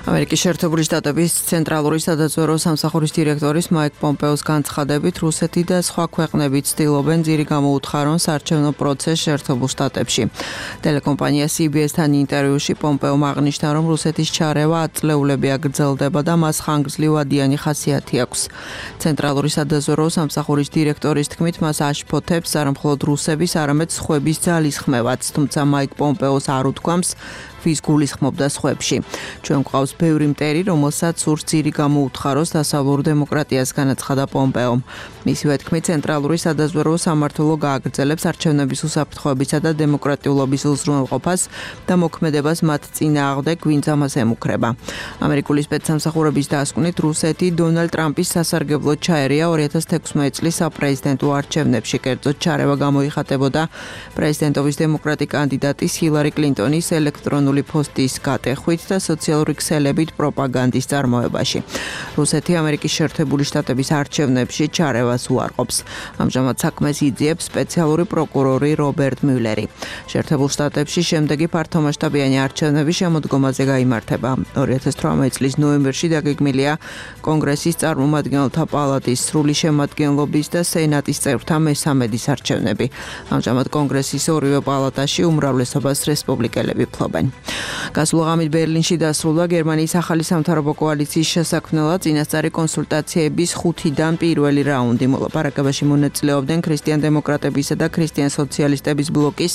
ამერიკის შეერთებული შტატების ცენტრალური სადაზვერვო სამსახურის დირექტორის მაიკ პომპეოს განცხადებით, რუსეთი და სხვა ქვეყნები ცდილობენ ძირი გამოუთხარონ საარჩევნო პროცესს შეერთებულ შტატებში. ტელეკომპანია სი ბი ეს-თან ინტერვიუში პომპეომ აღნიშნა, რომ რუსეთის ჩარევა ათწლეულები აგრძელდება და მას ხანგრძლივადიანი ხასიათი აქვს. ცენტრალური სადაზვერვო სამსახურის დირექტორის თქმით, მას აშფოთებს არა მხოლოდ რუსების, არამედ სხვების ძალისხმევაც, თუმცა მაიკ პომპეოს არ უთქვამს ვის გულისხმობდა სხვებში. ჩვენ გვყავს ბევრი მტერი, რომელსაც სურს ძირი გამოუთხაროს დასავლურ დემოკრატიას, განაცხადა პომპეომ. მისივე თქმით, ცენტრალური სადაზვერვო სამმართველო გააგრძელებს არჩევნების უსაფრთხოებისა და დემოკრატიულობის უზრუნველყოფას და მოქმედებას მათ წინააღმდეგ, ვინც ამას ემუქრება. ამერიკული სპეცსამსახურების დასკვნით, რუსეთი დონალდ ტრამპის სასარგებლოდ ჩაერია ორი ათას თექვსმეტ წლის საპრეზიდენტო არჩევნებში. კერძოდ ჩარევა გამოიხატებოდა პრეზიდენტობის დემოკრატი კანდიდატის ჰილარი კლინტონის ელექტრონული პოსტის გატეხვით და სოციალური ქსელებით პროპაგანდის წარმოებაში. რუსეთი ამერიკის შეერთებული შტატების არჩევნებში ჩარევას უარყოფს. ამჟამად საქმეს იძიებს სპეციალური პროკურორი რობერტ მიულერი. შეერთებულ შტატებში შემდეგი ფართომასშტაბიანი არჩევნები შემოდგომაზე გაიმართება. ორი ათას თვრამეტ წლის ნოემბერში დაგეგმილია კონგრესის წარმომადგენელთა პალატის სრული შემადგენლობის და სენატის წევრთა მესამედის არჩევნები. ამჟამად კონგრესის ორივე პალატაში უმრავლესობას რესპუბლიკელები ფლობენ. გასულ ღამით ბერლინში დასრულდა გერმანიის ახალი სამთავრობო კოალიციის შესაქმნელად წინასწარი კონსულტაციების ხუთიდან პირველი რაუნდი. მოლაპარაკებაში მონაწილეობდნენ ქრისტიან-დემოკრატებისა და ქრისტიან-სოციალისტების ბლოკის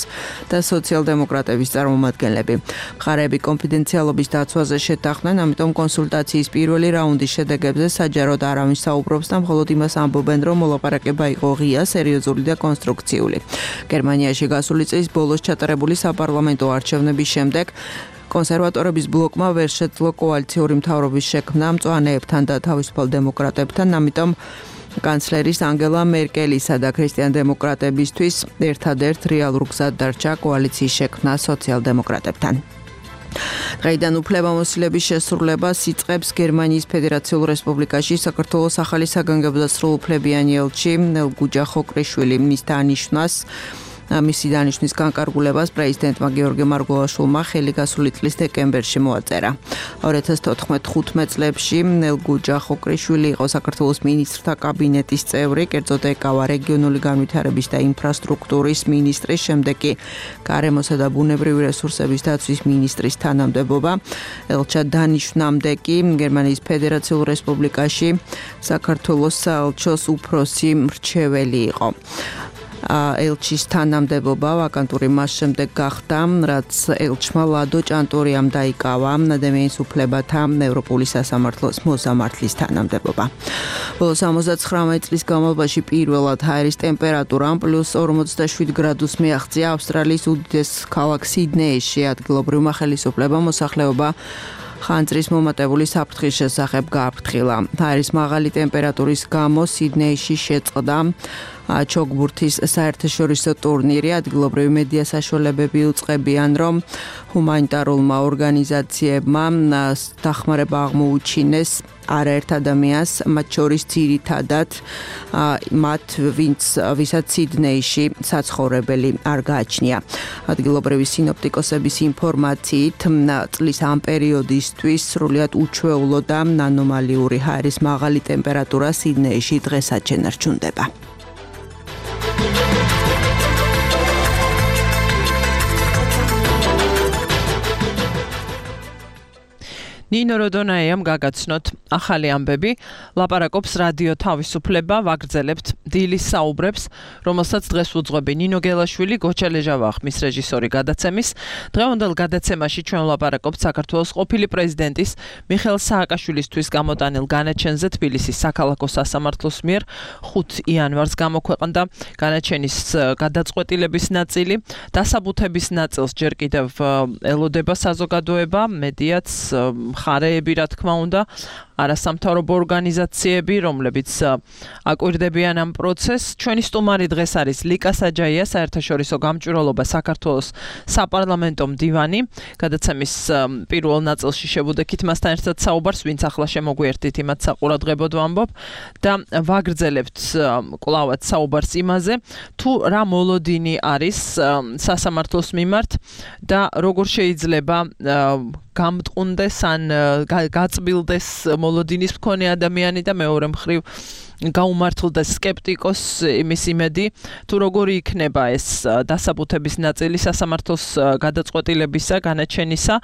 და სოციალ-დემოკრატების წარმომადგენლები. მხარეები კონფიდენციალობის დაცვაზე შეთანხმდნენ, ამიტომ კონსულტაციის პირველი რაუნდის შედეგებზე საჯაროდ არავინ საუბრობს და მხოლოდ იმას ამბობენ, რომ მოლაპარაკება იყო ღია, სერიოზული და კონსტრუქციული. გერმანიაში გასული წლის ბოლოს ჩატარებული საპარლამენტო არჩევნების შემდეგ კონსერვატორების ბლოკმა ვერ შეძლო კოალიციური მთავრობის შექმნა მწვანეებთან და თავისუფალ დემოკრატებთან, ამიტომ კანცლერის ანგელა მერკელისა და ქრისტიან-დემოკრატებისთვის ერთადერთ რეალურ გზად დარჩა კოალიციის შექმნა სოციალ-დემოკრატებთან. დღეიდან უფლებამოსილების შესრულებას იწყებს გერმანიის ფედერაციულ რესპუბლიკაში საქართველოს ახალი საგანგებო და სრულუფლებიანი ელჩი ნელგუჯა ხოკრიშვილი. მის დანიშვნას მისი დანიშვნის განკარგულებას პრეზიდენტმა გიორგი მარგველაშვილმა ხელი გასული წლის დეკემბერში მოაწერა. ორი ათას თოთხმეტ წლებში ნელგუჯა ხოკრიშვილი იყო საქართველოს მინისტრთა კაბინეტის წევრი, კერძოდ ეკავა რეგიონული განვითარების და ინფრასტრუქტურის მინისტრის, შემდეგ კი გარემოსა და ბუნებრივი რესურსების დაცვის მინისტრის თანამდებობა. ელჩა დანიშვნამდე კი გერმანიის ფედერაციულ რესპუბლიკაში საქართველოს საელჩოს უფროსი მრჩეველი იყო. ელჩის თანამდებობა ვაკანტური მას შემდეგ გახდა, რაც ელჩმა ლადო ჭანტურიამ დაიკავა ადამიანის უფლებათა ევროპული სასამართლოს მოსამართლის თანამდებობა. ბოლო სამოცდაცხრამეტ წლის განმავლობაში პირველად ჰაერის ტემპერატურამ პლუს ორმოცდაშვიდ გრადუსს მიაღწია ავსტრალიის უდიდეს ქალაქ სიდნეიში. ადგილობრივმა ხელისუფლებამ მოსახლეობა ხანძრის მომატებული საფრთხის შესახებ გააფრთხილა. ჰაერის მაღალი ტემპერატურის გამო სიდნეიში შეწყდა ჩოგბურთის საერთაშორისო ტურნირი. ადგილობრივი მედია საშუალებები უწყებიან, რომ ჰუმანიტარულმა ორგანიზაციებმა დახმარება აღმოუჩინეს არაერთ ადამიანს, მათ შორის ძირითადად მათ, ვინც ვისაც სიდნეიში საცხოვრებელი არ გააჩნია. ადგილობრივი სინოპტიკოსების ინფორმაციით, წლის ამ პერიოდისთვის სრულიად უჩვეულო და ანომალიური ჰაერის მაღალი ტემპერატურა სიდნეიში დღესაც შენარჩუნდება. ნინო როდონაიამ გაგაცნოთ ახალი ამბები, ლაპარაკობს რადიო თავისუფლება, ვაგრძელებთ დილის საუბრებს, რომელსაც დღეს უძღვები ნინო გელაშვილი, გოჩა ლეჟავა ხმის რეჟისორი გადაცემის. დღევანდელ გადაცემაში ჩვენ ვლაპარაკობთ საქართველოს ყოფილი პრეზიდენტის მიხეილ სააკაშვილისთვის გამოტანილ განაჩენზე. თბილისის საქალაქო სასამართლოს მიერ ხუთი იანვარს გამოქვეყნდა განაჩენის გადაწყვეტილების ნაწილი. დასაბუთების ნაწილს ჯერ კიდევ ელოდება საზოგადოება, მედიაც, მხარეები, რა თქმა უნდა, არასამთავრობო ორგანიზაციები, რომლებიც აკვირდებიან ამ პროცესს. ჩვენი სტუმარი დღეს არის ლიკა საჯაია, საერთაშორისო გამჭვირვალობა საქართველოს საპარლამენტო მდივანი. გადაცემის პირველ ნაწილში შევუდექით მასთან ერთად საუბარს, ვინც ახლა შემოგვიერთდით, იმათ საყურადღებოდ ვამბობ და ვაგრძელებთ კვლავად საუბარს იმაზე, თუ რა მოლოდინი არის სასამართლოს მიმართ და როგორ შეიძლება გამტყუნდეს ან გაწბილდეს მოლოდინის მქონე ადამიანი და მეორე მხრივ გაუმართლდეს სკეპტიკოს იმის იმედი, თუ როგორი იქნება ეს დასაბუთების ნაწილი სასამართლოს გადაწყვეტილებისა, განაჩენისა.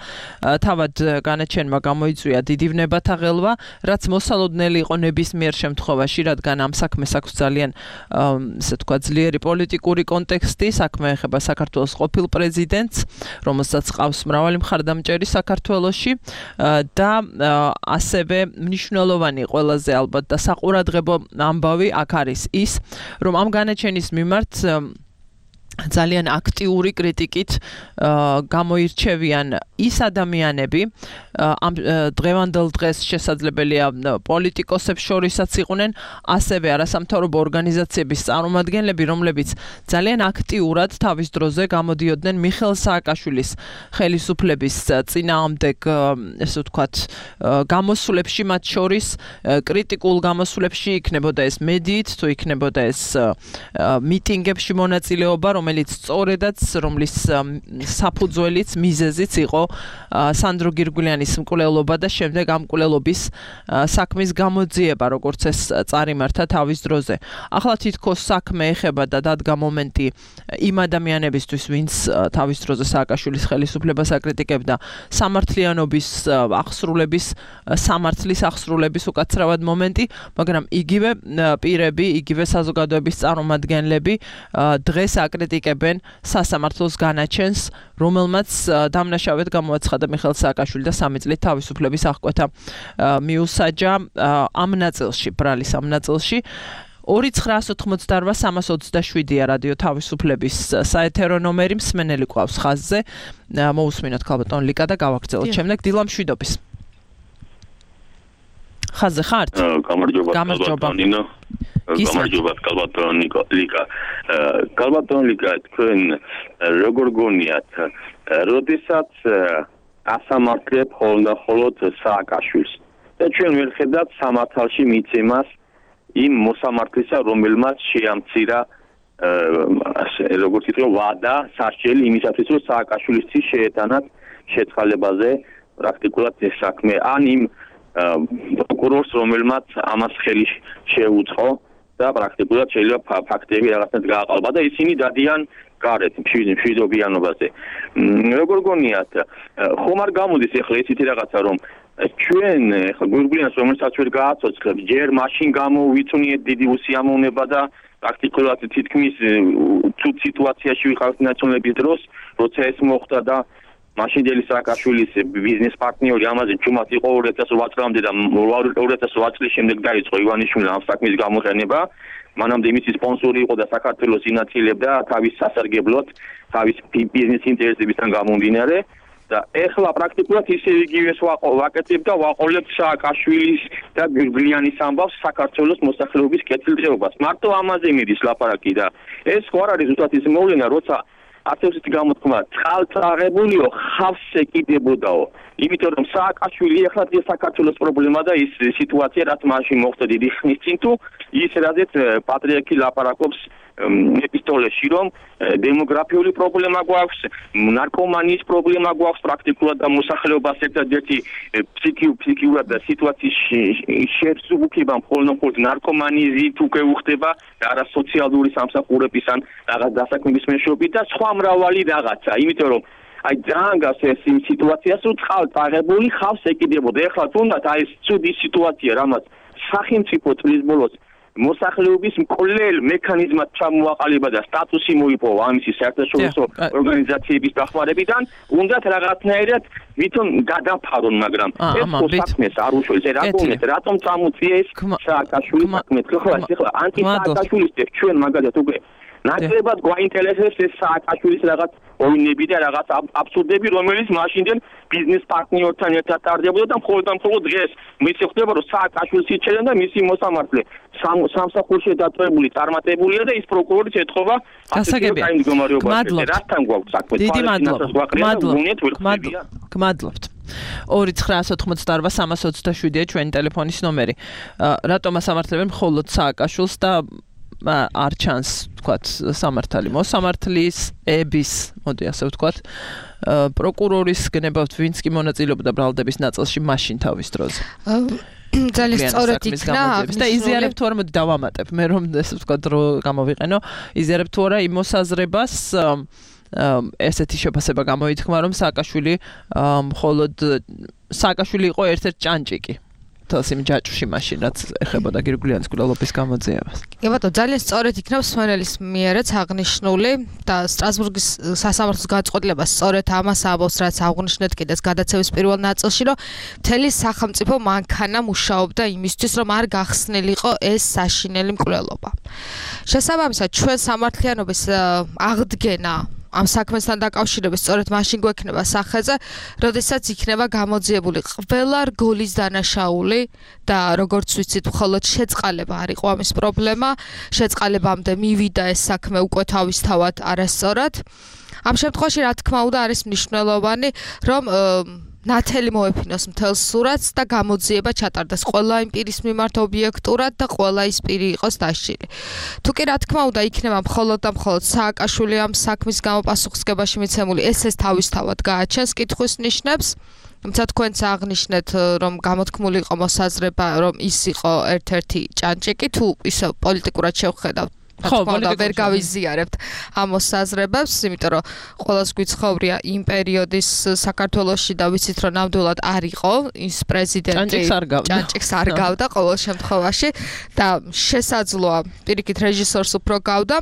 თავად განაჩენმა გამოიწვია დიდი ვნებათა ღელვა, რაც მოსალოდნელი იყო ნებისმიერ შემთხვევაში, რადგან ამ საქმეს აქვს ძალიან ესე თქვა ძლიერი პოლიტიკური კონტექსტი. საქმე ეხება საქართველოს ყოფილ პრეზიდენტს, რომელსაც ყავს მრავალი მხარდამჭერი საქართველოში და ასევე მნიშვნელოვანი ყველაზე ალბათ და საყურადღებო ამბავი აქ არის ის, რომ ამ განაჩენის მიმართ ძალიან აქტიური კრიტიკით გამოირჩევიან ის ადამიანები, ამ დღევანდელ დღეს შესაძლებელია პოლიტიკოსებს შორისაც იყვნენ, ასევე არასამთავრობო ორგანიზაციების წარმომადგენლები, რომლებიც ძალიან აქტიურად თავის დროზე გამოდიოდნენ მიხეილ სააკაშვილის ხელისუფლების წინააღმდეგ, ესე ვთქვათ, გამოსვლებში, მათ შორის კრიტიკულ გამოსვლებში, იქნებოდა ეს მედიით, თუ იქნებოდა ეს მიტინგებში მონაწილეობა, რომელიც სწორედაც, რომლის საფუძველიც, მიზეზიც იყო სანდრო გირგულიანის მკვლელობა და შემდეგ ამ მკვლელობის საქმის გამოძიება, როგორც ეს წარიმართა თავის დროზე. ახლა თითქოს საქმე ეხება და დადგა მომენტი იმ ადამიანებისთვის, ვინც თავის დროზე სააკაშვილის ხელისუფლებას აკრიტიკებდა, სამართლიანობის აღსრულების, სამართლის აღსრულების უკაცრავად მომენტი, მაგრამ იგივე პირები, იგივე საზოგადოების წარმომადგენლები დღეს აკრიტიკებენ სასამართლოს განაჩენს, რომელმაც დამნაშავედ გამოაცხადა მიხეილ სააკაშვილი და სამი წლით თავისუფლების აღკვეთა მიუსაჯა ამ ნაწილში, ბრალის ამ ნაწილში. ორი ცხრაას ოთხმოცდაორვა სამას ოცდაშვიდია რადიო თავისუფლების საეთერო ნომერი, მსმენელი ყავს ხაზზე. მოусმინოთ ქალბატონ ლიკა და გავაგრძელოთ შემდეგ დილა მშვიდობის. ხაზზე ხართ? გამარჯობა. გამარჯობა. გამარჯობა ქალბატონ ლიკა. ქალბატონ ლიკა, თქვენ როგორ გონიათ, როდესაც ასამართლებ ხოლმე სააკაშვილს და ჩვენ ვერ ხედავთ სამართალში მიცემას იმ მოსამართლისა, რომელმაც შეამცირა როგორც ითქვა ვადა სასჯელი იმისათვის, რომ სააკაშვილისთვის შეეტანათ შეწყალებაზე პრაქტიკულად ეს საქმე, ან იმ პროკურორს, რომელმაც ამას ხელი შეუწყო და პრაქტიკულად შეიძლება ფაქტები რაღაცნაირად გააყალბა და ისინი დადიან გარეთ მშვიდობიანობაზე. როგორ გონიათ, ხომ არ გამოდის ახლა ისეთი რაღაცა, რომ ჩვენ ახლა გურგულიანს რომელსაც ვერ გააცოცხლებთ, ჯერ მაშინ გამოვიწვნიეთ დიდი უსიამოვნება და პრაქტიკულად თითქმის თუ სიტუაციაში ვიყავთ ნაციონალების დროს, როცა ეს მოხდა და მაშინდელი სააკაშვილის ბიზნეს პარტნიორი ამაზე ჩუმად იყო ორი ათას ოთხ წლამდე და ორი ათას ოთხ წლის შემდეგ დაიწყო ივანიშვილმა ამ საქმის გამოყენება. მანამდე მისი სპონსორი იყო და საქართველოს ინაცილებდა თავის სასარგებლოდ, თავის ბიზნეს ინტერესებისგან გამომდინარე და ეხლა პრაქტიკულად ისე იგივეს ვაკეთებ და ვაყოლებ სააკაშვილის და გრიგოლიანის ამბავს საქართველოს მოსახლეობის კეთილდღეობას. მარტო ამაზე მიდის ლაპარაკი და ეს ხო არ არის ზუსტად ის მოვლენა, როცა ასეთი გამოთქმა წყალწაღებულიო ხავს ეკიდებოდაო. იმიტომ რომ სააკაშვილი ეხლა დღეს საქართველოს პრობლემა და ის სიტუაცია რაც მაშინ მოხდა დიდი ხნის წინ თუ ის რაზეც პატრიარქი ლაპარაკობს ეპისტოლეში რომ დემოგრაფიული პრობლემა გვაქვს, ნარკომანიის პრობლემა გვაქვს პრაქტიკულად და მოსახლეობას ერთადერთი ფსიქიურად და სიტუაციის შევსუბუქება მხოლოდ ნარკომანიზით უკვე უხდება და არა სოციალური სამსახურების ან რაღაც დასაქმების მეშვეობით და სხვა მრავალი რაღაცა, იმიტომ რომ აი ძალიან გას ეს იმ სიტუაციას რომ წყალწაღებული ხავს ეკიდებოდა. ეხლა თუნდაც აი ეს ცუდი სიტუაცია, რამაც სახელმწიფო წლის ბოლოს მოსახლეობის მკვლელ მექანიზმად ჩამოაყალიბა და სტატუსი მოიპოვა ამისი საერთაშორისო ორგანიზაციების დახმარებიდან, უნდათ რაღაცნაირად ვითომ გადაფარონ, მაგრამ ეს საქმეს არ უშველს. რატომეთ, რატომ წამოწია ეს სააკაშვილის საქმე? ხო, ახლა ანტი-სააკაშვილის ჩვენ მაგალითად უკვე ნაკლებად გვაინტერესებს ეს სააკაშვილის რაღაც ოვინები და რაღაც აბსურდები, რომელიც მაშინდელ ბიზნეს პარტნიორთან ერთად ტარდებოდა და მხოლოდ და მხოლოდ დღეს მისი ხდება, რომ სააკაშვილს იჩერენ და მისი მოსამართლე სამსახურში დატოვებული წარმატებულია და ის პროკურორიც ეთხოვა გასაგებია. რასთან გვაქვს საქმე? დიდი მადლობა. გმადლობთ. ორი ცხრა ოთხმოცდაორ სამას ოცდაშვიდია ჩვენი ტელეფონის ნომერი. რატომ ასამართლებენ მხოლოდ სააკაშვილს და არ ჩანს, თქვათ, სამართალი მოსამართლის, ების, მოდი ასე ვთქვათ, პროკურორის გნებავთ, ვინც კი მონაწილეობდა ბრალდების ნაწილში მაშინ თავის დროზე. ძალიან სწორად იქნა და იზიარებ თუ არა, მოდი დავამატებ, მე რომ ესე ვთქვათ, დრო გამოვიყენო, იზიარებ თუ არა იმ მოსაზრებას ესეთი შეფასება გამოითქმა, რომ სააკაშვილი მხოლოდ სააკაშვილი იყო ერთ-ერთი ჭანჭიკი. თავს იმ ჯაჭვში მაშინ რაც ეხებოდა გირგვლიანის გულალობის გამოძიებას. კი ბატონო, ძალიან სწორად იქნა მსმენელის მიერაც აღნიშნული და სტრასბურგის სასამართლოს განწყობილება სწორედ ამას ამბობს, რაც აღნიშნეთ კიდეც გადაცემის პირველ ნაწილში, რომ მთელი სახელმწიფო მანქანა მუშაობდა იმისთვის, რომ არ გახსნილიყო ეს საშინელი მკვლელობა. შესაბამისად, ჩვენ სამართლიანობის აღდგენა ამ საქმესთან დაკავშირებით სწორედ მაშინ გვექნება სახეზე, როდესაც იქნება გამოძიებული ყველა რგოლის დანაშაული და როგორც ვიცით, მხოლოდ შეწყალება არ იყო ამის პრობლემა, შეწყალებამდე მივიდა ეს საქმე უკვე თავისთავად არასწორად. ამ შემთხვევაში, რა თქმა უნდა, არის მნიშვნელოვანი, რომ ნათელი მოეფინოს მთელს სურათს და გამოძიება ჩატარდეს ყველა იმ პირის მიმართ ობიექტურად და ყველა ის პირი იყოს დასჯილი. თუ კი რა თქმა უნდა იქნება მხოლოდ და მხოლოდ სააკაშვილი ამ საქმის გამო პასუხისგებაში მიცემული, ეს ეს თავისთავად გააჩენს კითხვის ნიშნებს. თუმცა თქვენც აღნიშნეთ, რომ გამოთქმული იყო მოსაზრება, რომ ის იყო ერთ-ერთი ჭანჭიკი, თუ ისე პოლიტიკურად შევხედავთ. ხო, ვერ გავიზიარებთ ამ მოსაზრებებს, იმიტომ რომ ყველას გვიცხოვრია იმ პერიოდის საქართველოში და ვიცით, რომ ნამდვილად არ იყო ის პრეზიდენტი, ჭანჭიკს არ გავდა ყოველ შემთხვევაში და შესაძლოა პირიქით რეჟისორს უფრო გავდა.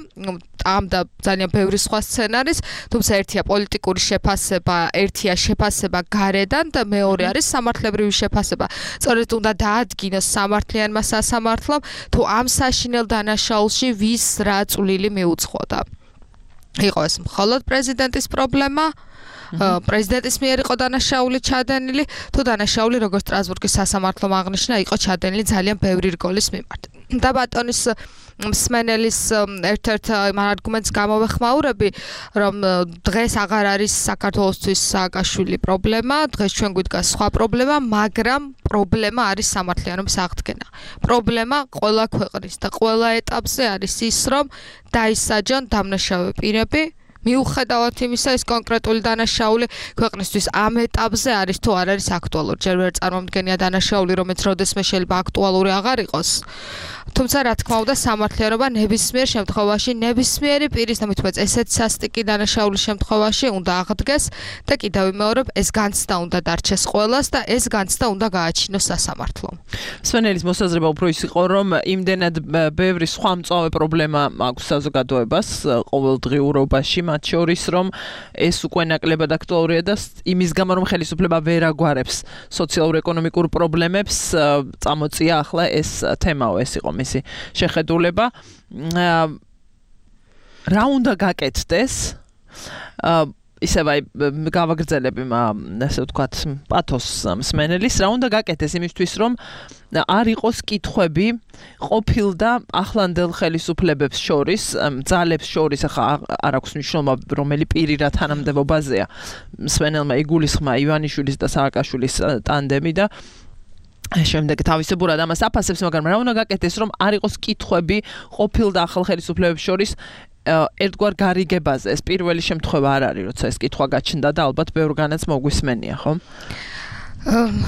ამ და ძალიან ბევრი სხვა სცენარის, თუმცა ერთია პოლიტიკური შეფასება, ერთია შეფასება გარედან და მეორე არის სამართლებრივი შეფასება. სწორედ უნდა დაადგინოს სამართლიანმა სასამართლომ, თუ ამ საშინელ დანაშაულში ვის რა წვლილი მიუძღოდა. იყო ეს მხოლოდ პრეზიდენტის პრობლემა, პრეზიდენტის მიერ იყო დანაშაული ჩადენილი, თუ დანაშაული როგორც სტრასბურგის სასამართლომ აღნიშნა, იყო ჩადენილი ძალიან ბევრი რგოლის მიმართ. და ბატონის მსმენელის ერთ-ერთ არგუმენტს გამოვეხმაურები, რომ დღეს აღარ არის საქართველოსთვის სააკაშვილი პრობლემა, დღეს ჩვენ გვიდგას სხვა პრობლემა, მაგრამ პრობლემა არის სამართლიანობის აღდგენა. პრობლემა ყველა ქვეყნის და ყველა ეტაპზე არის ის, რომ დაისაჯონ დამნაშავე პირები, მიუხედავად იმისა, ეს კონკრეტული დანაშაული ქვეყნისთვის ამ ეტაპზე არის თუ არ არის აქტუალური. ჯერ ვერ წარმომდგენია დანაშაული, რომელიც როდესმე შეიძლება აქტუალური აღარ იყოს. თუმცა რა თქმა უნდა, სამართლიანობა ნებისმიერ შემთხვევაში, ნებისმიერი პირის, თუმცა ესეც სასტიკი დანაშაულის შემთხვევაში უნდა აღდგეს და კიდევ ვიმეორებ, ეს განცდა უნდა დარჩეს ყველას და ეს განცდა უნდა გააჩინოს სასამართლომ. სვენელის მოსაზრება უფრო ის იყო, რომ იმდენად ბევრი სხვა მწვავე პრობლემა აქვს საზოგადოებას ყოველდღიურობაში, მათ შორის რომ ეს უკვე ნაკლებად აქტუალურია და იმის გამო რომ ხელისუფლება ვერ აგვარებს სოციალურ-ეკონომიკურ პრობლემებს, წამოწია ახლა ეს თემაო, ეს იყო მისი შეხედულება. რა უნდა გაკეთდეს? ისევ აი გავაგრძელებ იმ ასე ვთქვათ პათოს მსმენელის, რა უნდა გაკეთდეს იმისთვის რომ არ იყოს კითხვები ყოფილ და ახლანდელ ხელისუფლებებს შორის, ძალებს შორის, ახლა არ აქვს მნიშვნელობა რომელი პირი რა თანამდებობაზეა. მსმენელმა იგულისხმა ივანიშვილის და სააკაშვილის ტანდემი და შემდეგ თავისებურად ამას აფასებს, მაგრამ რა უნდა გაკეთდეს რომ არ იყოს კითხვები ყოფილ და ახალ ხელისუფლებებს შორის ერთგვარ გარიგებაზე. ეს პირველი შემთხვევა არ არის, როცა ეს კითხვა გაჩნდა და ალბათ ბევრგანაც მოგვისმენია, ხო?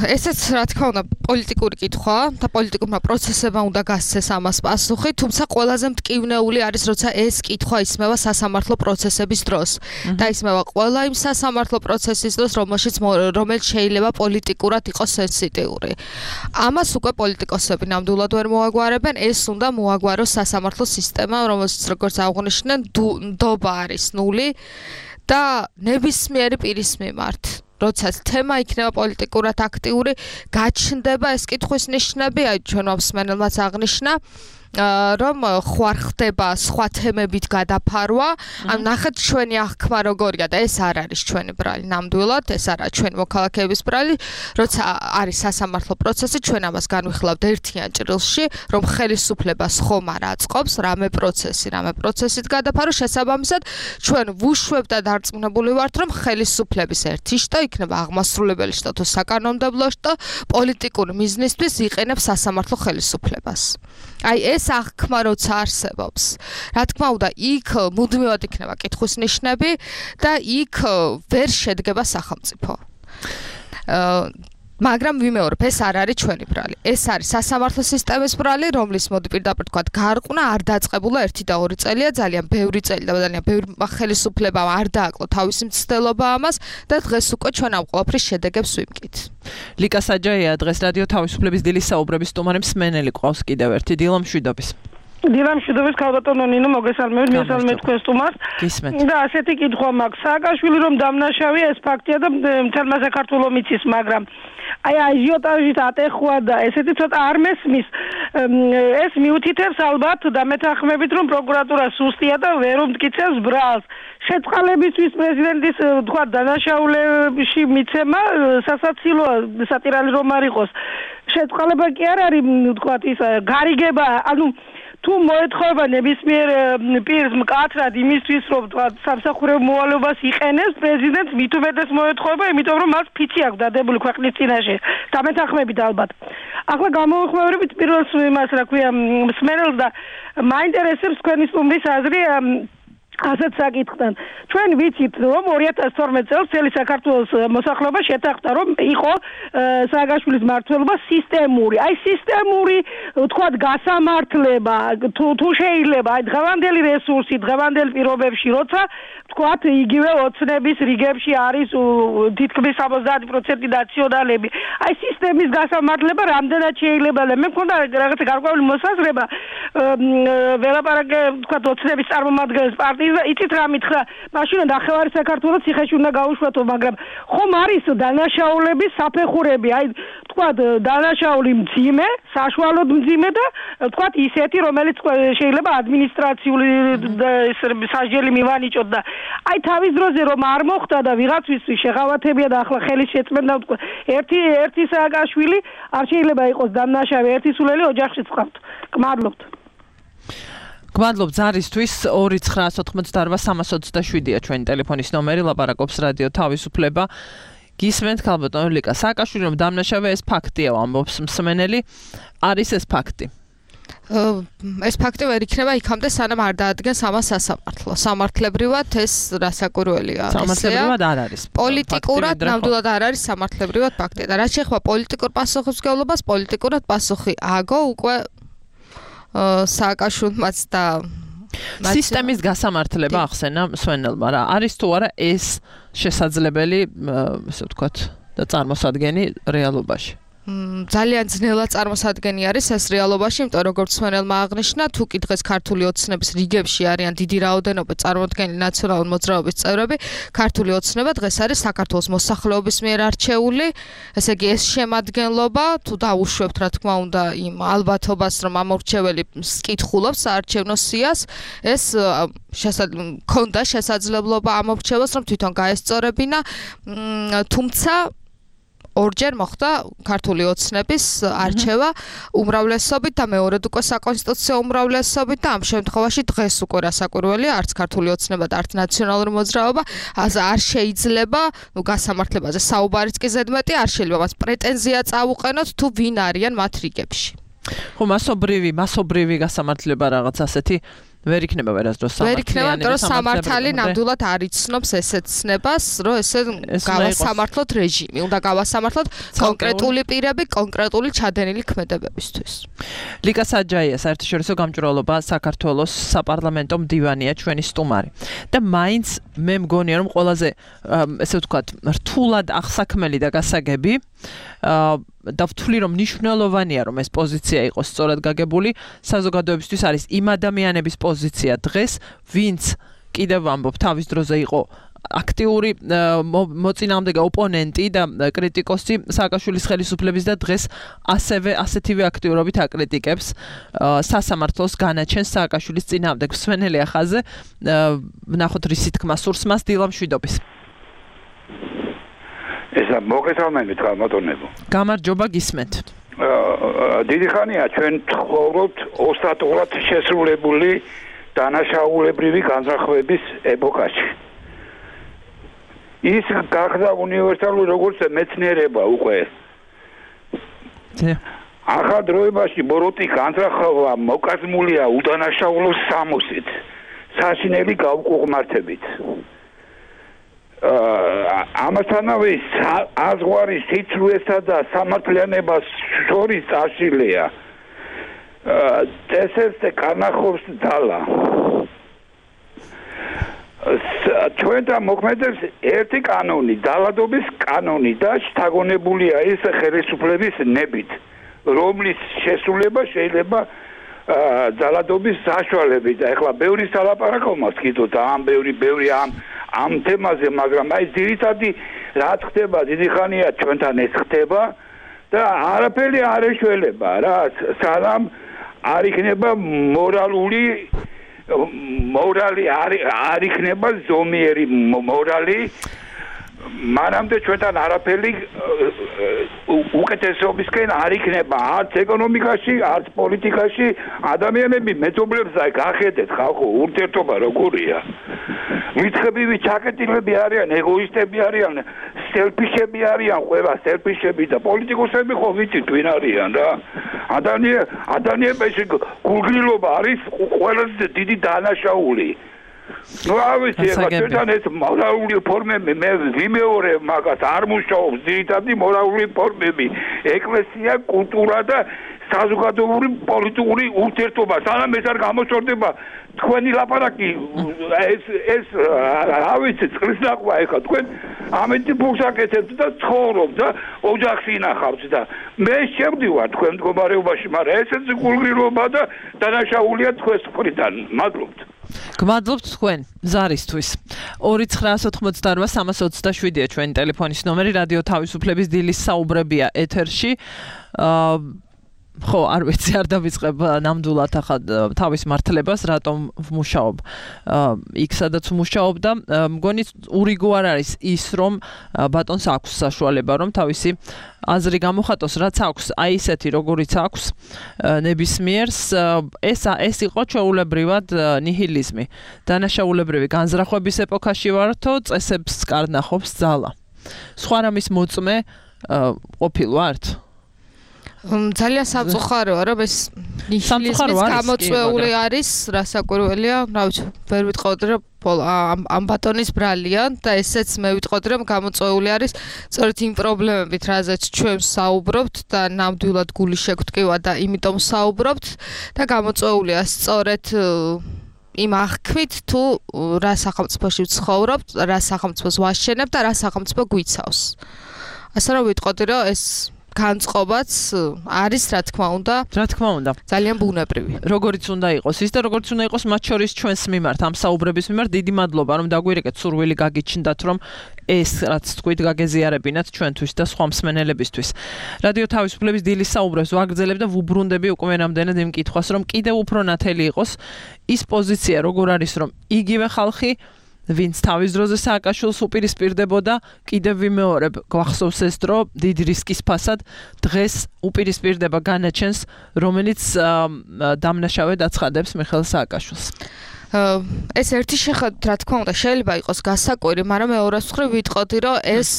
ესეც რა თქმა უნდა პოლიტიკური კითხვაა და პოლიტიკურმა პროცესებმა უნდა გასცეს ამას პასუხი, თუმცა ყველაზე მტკივნეული არის, როცა ეს კითხვა ისმევა სასამართლო პროცესების დროს და ისმევა ყველა იმ სასამართლო პროცესის დროს, რომელშიც რომელიც შეიძლება პოლიტიკურად იყოს სენსიტიური. ამას უკვე პოლიტიკოსები ნამდვილად ვერ მოაგვარებენ, ეს უნდა მოაგვაროს სასამართლო სისტემა, რომელსაც როგორც აღნიშნნენ, ნდობა არის ნული და ნებისმიერი პირის მიმართ. როცა თემა იქნება პოლიტიკურად აქტიური, გაჩნდება ეს კითხვის ნიშნები, აი ჩვენმა მსმენელმაც აღნიშნა, რომ ხوار ხდება სხვა თემებით გადაფარვა, ან ნახეთ ჩვენი აღქმა როგორია და ეს არ არის ჩვენი ბრალი ნამდვილად, ეს არა ჩვენი მოქალაქეების ბრალი, როცა არის სასამართლო პროცესი, ჩვენ ამას განვიხილავთ ერთიან ჭრილში, რომ ხელისუფლებას ხომ არ აწყობს რამე პროცესი, რამე პროცესით გადაფარო, შესაბამისად ჩვენ ვუშვებ და დარწმუნებული ვართ, რომ ხელისუფლების ერთი შტო იქნება აღმასრულებელი შტო თუ საკანონმდებლო შტო პოლიტიკური მიზნისთვის იყენებს სასამართლო ხელისუფლებას. აი ეს აღქმა როცა არსებობს, რა თქმა უნდა, იქ მუდმივად იქნება კითხვის ნიშნები და იქ ვერ შედგება სახელმწიფო. მაგრამ ვიმეორებ, ეს არ არის ჩვენი ბრალი. ეს არის სასამართლო სისტემის ბრალი, რომლის მოდი პირდაპირ თქვა, გარყნა არ დაწყებულა ერთი და ორი წელია, ძალიან ბევრი წელი და ძალიან ბევრი ხელისუფლებამ არ დააკლო თავისი მცდელობა ამას და დღეს უკვე ჩვენ ამ ყველაფრის შედეგებს ვიმკით. ლიკა საჯაია დღეს რადიო თავისუფლების დილის საუბრების სტუმარი, მსმენელი ყავს კიდევ ერთი. დილა მშვიდობის. დილა მშვიდობის, ქალბატონო ნინო, მოგესალმებით, მესალმებით თქვენ სტუმარს. და ასეთი კითხვა მაქვს. სააკაშვილი რომ დამნაშავეა, ეს ფაქტია და მთელმა საქართველოს მიცის, მაგრამ აი აჟიოტაჟით ატეხვა და ესეთი ცოტა არ მესმის. ეს მიუთითებს ალბათ და მეთანხმებით, რომ პროკურატურა სუსტია და ვერ უმტკიცებს ბრალს. შეწყალებისთვის პრეზიდენტის თქვა დანაშაულებში მიცემა სასაცილოა, სატირალი რომ არ იყოს. შეწყალება კი არ არის თქვა ის გარიგება, ანუ თუ მოეთხოვება ნებისმიერ პირს მკაცრად იმისთვის, რომ თქვა სამსახურებო მოვალეობას იყენებს, პრეზიდენტს მით უმეტეს მოეთხოვება, იმიტომ რომ მას ფიცი აქვს დადებული ქვეყნის წინაშე. დამეთანხმებით ალბათ. ახლა გამოვიხმაურებით პირველ იმას, რა ქვია, მსმენელს და მაინტერესებს თქვენი სტუმრის აზრი ასეთ საკითხთან. ჩვენ ვიცით, რომ ორი ათას თორმეტ წელს მთელი საქართველოს მოსახლეობა შეთანხმდა, რომ იყო სააკაშვილის მმართველობა სისტემური. აი სისტემური, ვთქვათ, გასამართლება, თუ თუ შეიძლება, აი დღევანდელი რესურსი, დღევანდელ პირობებში, როცა ვთქვათ, იგივე ოცნების რიგებში არის თითქმის სამოცდაათი პროცენტი ნაციონალები. აი სისტემის გასამართლება რამდენად შეიძლება? მე მქონდა რაღაცა გარკვეული მოსაზრება, ველაპარაკე, ვთქვათ, ოცნების წარმომადგენლებს პარტიის იცით რა მითხრა, მაშინ ნახევარი საქართველოს ციხეში უნდა გაუშვათო, მაგრამ ხომ არის დანაშაულების საფეხურები, აი ვთქვათ, დანაშაული მძიმე, საშუალოდ მძიმე და ვთქვათ ისეთი, რომელიც შეიძლება ადმინისტრაციული სასჯელი მივანიჭოთ და აი თავის დროზე რომ არ მოხდა და ვიღაცვის შეღავათებია და ახლა ხელის შეწმენდა ვთქვა, ერთი ერთი სააკაშვილი არ შეიძლება იყოს დანაშავე, ერთი სულელი ოჯახშიც ყავთ. გმადლობთ. გმადლობთ ზარისთვის. ორი ცხრა ოთხმოცდაოთხ სამას ოცდაშვიდია ჩვენი ტელეფონის ნომერი, ლაპარაკობს რადიო თავისუფლება. გისმენთ ქალბატონო ლიკა სააკაშვილი რომ დამნაშავე, ეს ფაქტია, ამბობს მსმენელი. არის ეს ფაქტი? ეს ფაქტი ვერ იქნება იქამდე სანამ არ დაადგენს ამას სასამართლო. სამართლებრივად ეს რასაკვირველია. სამართლებრივად არ არის. პოლიტიკურად ნამდვილად არ არის სამართლებრივად ფაქტი. და რაც შეეხება პოლიტიკურ პასუხისმგებლობას, პოლიტიკურად პასუხი ააგო უკვე სააკაშვილმაც და სისტემის გასამართლება ახსენა სვენელმა რა. არის თუ არა ეს შესაძლებელი, ესე ვთქვათ, და წარმოსადგენი რეალობაში? ძალიან ძნელად წარმოსადგენი არის ეს რეალობაში, იმიტომ როგორც სვენელმა აღნიშნა, თუ კი დღეს ქართული ოცნების რიგებში არიან დიდი რაოდენობით წარმოდგენილი ნაციონალური მოძრაობის წევრები, ქართული ოცნება დღეს არის საქართველოს მოსახლეობის მიერ არჩეული, ესე იგი ეს შემადგენლობა, თუ დაუშვებთ რა თქმა უნდა იმ ალბათობას, რომ ამორჩეველი კითხულობს საარჩევნო სიას, ეს ქონდა შესაძლებლობა ამორჩევას, რომ თვითონ გაესწორებინა, თუმცა ორჯერ მოხდა ქართული ოცნების არჩევა უმრავლესობით და მეორედ უკვე საკონსტიტუციო უმრავლესობით და ამ შემთხვევაში დღეს უკვე რასაკვირველია, არც ქართული ოცნება და არც ნაციონალური მოძრაობა არ შეიძლება, ნუ გასამართლებაზე საუბარიც კი ზედმეტი არ შეიძლება მას პრეტენზია წაუყენოთ თუ ვინ არიან მათ რიგებში. ხო, მასობრივი, მასობრივი გასამართლება რაღაც ასეთი ვერ იქნება ვერასდროს სამართლიანი. ვერ იქნება, იმიტომ რომ სამართალი ნამდვილად არ იცნობს ესეთ ცნებას, რომ ესე გავასამართლოთ რეჟიმი. უნდა გავასამართლოთ კონკრეტული პირები, კონკრეტული ჩადენილი ქმედებებისთვის. ლიკა საჯაია, საერთაშორისო გამჭვირვალობა საქართველოს საპარლამენტო მდივანია, ჩვენი სტუმარი. და მაინც მე მგონია, რომ ყველაზე ესე ვთქვათ, რთულად აღსაქმელი და გასაგები და ვთვლი რომ მნიშვნელოვანია რომ ეს პოზიცია იყოს სწორად გაგებული საზოგადოებისთვის არის იმ ადამიანების პოზიცია დღეს ვინც კიდევ ამბობ თავის დროზე იყო აქტიური მოწინააღმდეგე ოპონენტი და კრიტიკოსი სააკაშვილის ხელისუფლების და დღეს ასევე ასეთივე აქტიურობით აკრიტიკებს სასამართლოს განაჩენს სააკაშვილის წინააღმდეგ. სვენელი ახაზე ვნახოთ რისი თქმა სურს მას დილა მშვიდობის. ესა მოგესალმებით გამოდონებო. გამარჯობა გისმენთ. დიდი ხანია ჩვენ ცხოვრობთ ოსტატურად შესრულებული დანაშაულებრივი განზრახვების ეპოქაში. ის გახდა უნივერსალური როგორც მეცნიერება უკვე. ახალ დროებაში ბოროტი განზრახვა მოკაზმულია უდანაშაულო სამოსით, საშინელი გაუკუღმართებით. ამასთანავე აზღვარი სიცრუესა და სამართლიანებას შორის წაშლია. წესებს კარნახობს ძალა. ჩვენთა მოქმედებს ერთი კანონი, ძალადობის კანონი და შთაგონებულია ეს ხელისუფლების ნებით, რომლის შესრულება შეიძლება ძალადობის საშუალებით. ეხლა ბევრი სალაპარაკო მას კიდოთ ამ ბევრი ბევრი ამ ამ თემაზე, მაგრამ აი ძირითადი რა ხდება, დიდი ხანია ჩვენთან ეს ხდება და არაფერი არ ეშველება რა, სანამ არ იქნება მორალური მორალი არ იქნება ზომიერი მორალი, მანამდე ჩვენთან არაფერი უკეთესობისკენ არ იქნება, არც ეკონომიკაში, არც პოლიტიკაში. ადამიანები მეზობლებს აი გახედეთ ხალხო, ურთიერთობა როგორია. მიწხებივი ჩაკეტილები არიან, ეგოისტები არიან, სელფიშები არიან, ყველა სელფიშები და პოლიტიკოსები ხო ვიცით ვინ არიან რა. ადამიან ადამიანებში გულგრილობა არის ყველაზე დიდი დანაშაული. ნუ ავიცი, ახლა ეს მორალური ფორმები მე ვიმეორებ მაგას, არ მუშაობს ძირითადი მორალური ფორმები, ეკლესია, კულტურა და საზოგადოებრივი პოლიტიკური ურთიერთობა. სანამ ეს არ გამოჩორდება თქვენი ლაპარაკი ეს ეს ავიცი წყლის ნახვა ეხლა თქვენ ამეთი ფულს აკეთებთ და ცხოვრობთ და ოჯახს ინახავთ და მე შევდივარ თქვენ მდგომარეობაში, მაგრამ ესეც გულგრილობა და დანაშაულია თქვენს მხრიდან. მადლობთ. გმადლობთ თქვენ ზარისთვის. ორი ცხრაას ოთხმოცდაორვა სამას ოცდაშვიდია ჩვენი ტელეფონის ნომერი, რადიო თავისუფლების დილის საუბრებია ეთერში. ხო, არ ვიცი, არ დავიწყებ ნამდვილად ახლა თავის მართლებას, რატომ ვმუშაობ იქ სადაც ვმუშაობ და მგონი ურიგო არ არის ის, რომ ბატონს აქვს საშუალება, რომ თავისი აზრი გამოხატოს, რაც აქვს, აი ისეთი როგორიც აქვს ნებისმიერს. ეს ეს იყო ჩვეულებრივად ნიჰილიზმი. დანაშაულებრივი განზრახვების ეპოქაში ვართო, წესებს კარნახობს ძალა. სხვა რამის მოწმე ყოფილვართ? ძალიან სამწუხაროა, რომ ეს ნიჰილიზმის გამოწვეული არის, რასაკვირველია, რა ვიცი, ვერ ვიტყოდი, რომ ამ ბატონის ბრალია და ესეც მე ვიტყოდი, რომ გამოწვეული არის სწორედ იმ პრობლემებით, რაზეც ჩვენ საუბრობთ და ნამდვილად გული შეგვტკივა და იმიტომ საუბრობთ და გამოწვეულია სწორედ იმ აღქმით თუ რა სახელმწიფოში ვცხოვრობთ, რა სახელმწიფოს ვაშენებთ და რა სახელმწიფო გვიცავს. ასე რომ ვიტყოდი, რომ ეს განწყობაც არის, რა თქმა უნდა. რა თქმა უნდა. ძალიან ბუნებრივი. როგორიც უნდა იყოს ის და როგორც უნდა იყოს მათ შორის ჩვენს მიმართ, ამ საუბრების მიმართ დიდი მადლობა, რომ დაგვირეკეთ სურვილი გაგიჩნდათ, რომ ეს რაც თქვით გაგეზიარებინათ ჩვენთვის და სხვა მსმენელებისთვის. რადიო თავისუფლების დილის საუბრებს ვაგრძელებ და ვუბრუნდები უკვე რამდენად იმ კითხვას, რომ კიდევ უფრო ნათელი იყოს ის პოზიცია, როგორ არის, რომ იგივე ხალხი ვინც თავის დროზე სააკაშვილს უპირისპირდებოდა, კიდევ ვიმეორებ, გვახსოვს ეს დრო დიდი რისკის ფასად დღეს უპირისპირდება განაჩენს, რომელიც დამნაშავედ აცხადებს მიხეილ სააკაშვილს. ეს ერთი შეხედვით, რა თქმა უნდა, შეიძლება იყოს გასაკვირი, მაგრამ მეორეს მხრივ ვიტყოდი, რომ ეს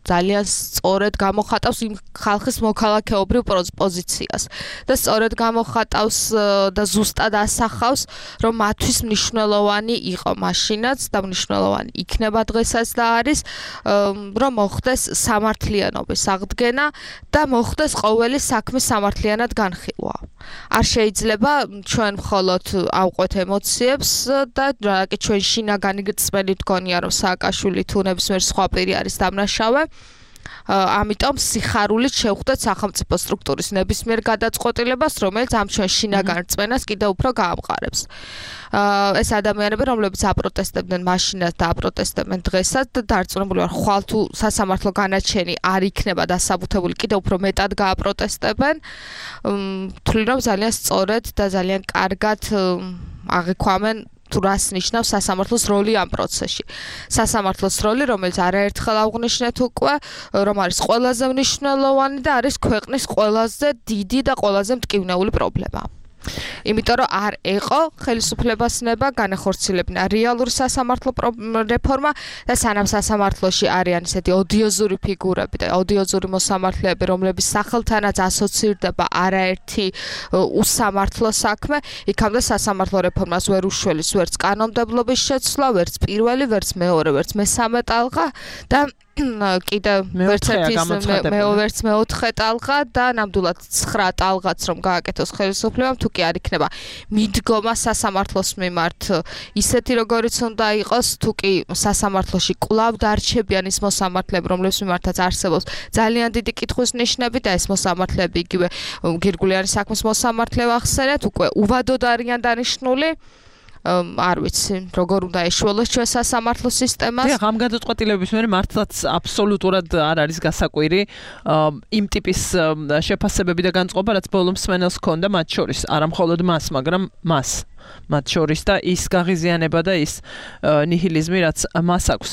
ძალიან სწორედ გამოხატავს იმ ხალხის მოქალაქეობრივ პოზიციას და სწორედ გამოხატავს და ზუსტად ასახავს, რომ მათთვის მნიშვნელოვანი იყო მაშინაც და მნიშვნელოვანი იქნება დღესაც და არის, რომ მოხდეს სამართლიანობის აღდგენა და მოხდეს ყოველი საქმე სამართლიანად განხილვა. არ შეიძლება ჩვენ მხოლოდ ავყვეთ ემოციებს და რა კი ჩვენ შინაგანი გწმენით გქონია, რომ სააკაშვილი თუ ნებისმიერ სხვა პირი არის დამნაშავე. ამიტომ სიხარულით შევხვდეთ სახელმწიფო სტრუქტურის ნებისმიერ გადაწყვეტილებას, რომელიც ამ ჩვენ შინაგან რწმენას კიდევ უფრო გაამყარებს. ეს ადამიანები, რომლებიც აპროტესტებდნენ მაშინაც და აპროტესტებენ დღესაც და დარწმუნებული ვარ, ხვალ თუ სასამართლო განაჩენი არ იქნება დასაბუთებული, კიდევ უფრო მეტად გააპროტესტებენ. თვლი რომ ძალიან სწორედ და ძალიან კარგად აღიქვამენ თუ რას ნიშნავს სასამართლოს როლი ამ პროცესში. სასამართლოს როლი, რომელიც არაერთხელ აღვნიშნეთ უკვე, რომ არის ყველაზე მნიშვნელოვანი და არის ქვეყნის ყველაზე დიდი და ყველაზე მტკივნეული პრობლემა. იმიტომ რომ არ ეყო ხელისუფლებას ნება განახორციელებინა რეალური სასამართლო რეფორმა და სანამ სასამართლოში არიან ისეთი ოდიოზური ფიგურები და ოდიოზური მოსამართლეები, რომლების სახელთანაც ასოცირდება არაერთი უსამართლო საქმე, იქამდე სასამართლო რეფორმას ვერ უშველის ვერც კანონმდებლობის შეცვლა, ვერც პირველი, ვერც მეორე, ვერც მესამე ტალღა და კიდე ვერც ერთის მეოთხე მეოთხე ტალღა და ნამდვილად ცხრა ტალღაც რომ გააკეთოს ხელისუფლებამ, თუ კი არ იქნება მიდგომა სასამართლოს მიმართ ისეთი როგორიც უნდა იყოს, თუ კი სასამართლოში კვლავ დარჩებიან ის მოსამართლეები, რომლებს მიმართაც არსებობს ძალიან დიდი კითხვის ნიშნები და ეს მოსამართლეები იგივე გირგულიანი საქმის მოსამართლე ვახსენეთ, უკვე უვადოდ არიან დანიშნული. არ ვიცი, როგორ უნდა ეშველოს ჩვენ სასამართლო სისტემას. დიახ, ამ გადაწყვეტილებების მერე მართლაც აბსოლუტურად არ არის გასაკვირი იმ ტიპის შეფასებები და განწყობა, რაც ბოლო მსმენელს ჰქონდა მათ შორის, არა მხოლოდ მას, მაგრამ მას მათ შორის და ის გაღიზიანება და ის ნიჰილიზმი, რაც მას აქვს.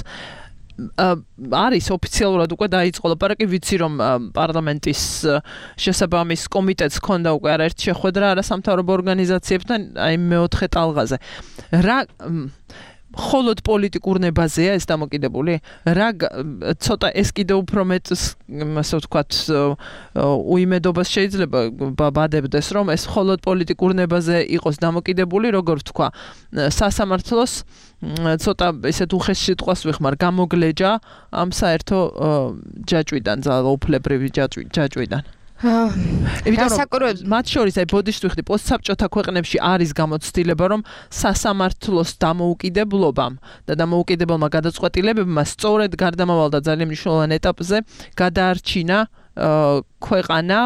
არის ოფიციალურად უკვე დაიწყო ლაპარაკი, ვიცი რომ პარლამენტის შესაბამის კომიტეტს ჰქონდა უკვე არაერთი შეხვედრა არასამთავრობო ორგანიზაციებთან აი მეოთხე ტალღაზე. რა მხოლოდ პოლიტიკურ ნებაზეა ეს დამოკიდებული? რა ცოტა ეს კიდევ უფრო მეტ ასე ვთქვათ უიმედობას შეიძლება ბადებდეს, რომ ეს მხოლოდ პოლიტიკურ ნებაზე იყოს დამოკიდებული, როგორ ვთქვა, სასამართლოს ცოტა ესეთ უხეშ სიტყვას ვიხმარ, გამოგლეჯა ამ საერთო ჯაჭვიდან, ძალაუფლებრივი ჯაჭვიდან. რასაკვირველია, მათ შორის აი ბოდიშტვიხდი პოსტსაბჭოთა ქვეყნებში არის გამოცდილება, რომ სასამართლოს დამოუკიდებლობამ და დამოუკიდებელმა გადაწყვეტილებებმა სწორედ გარდამავალ და ძალიან მნიშვნელოვან ეტაპზე გადაარჩინა ქვეყანა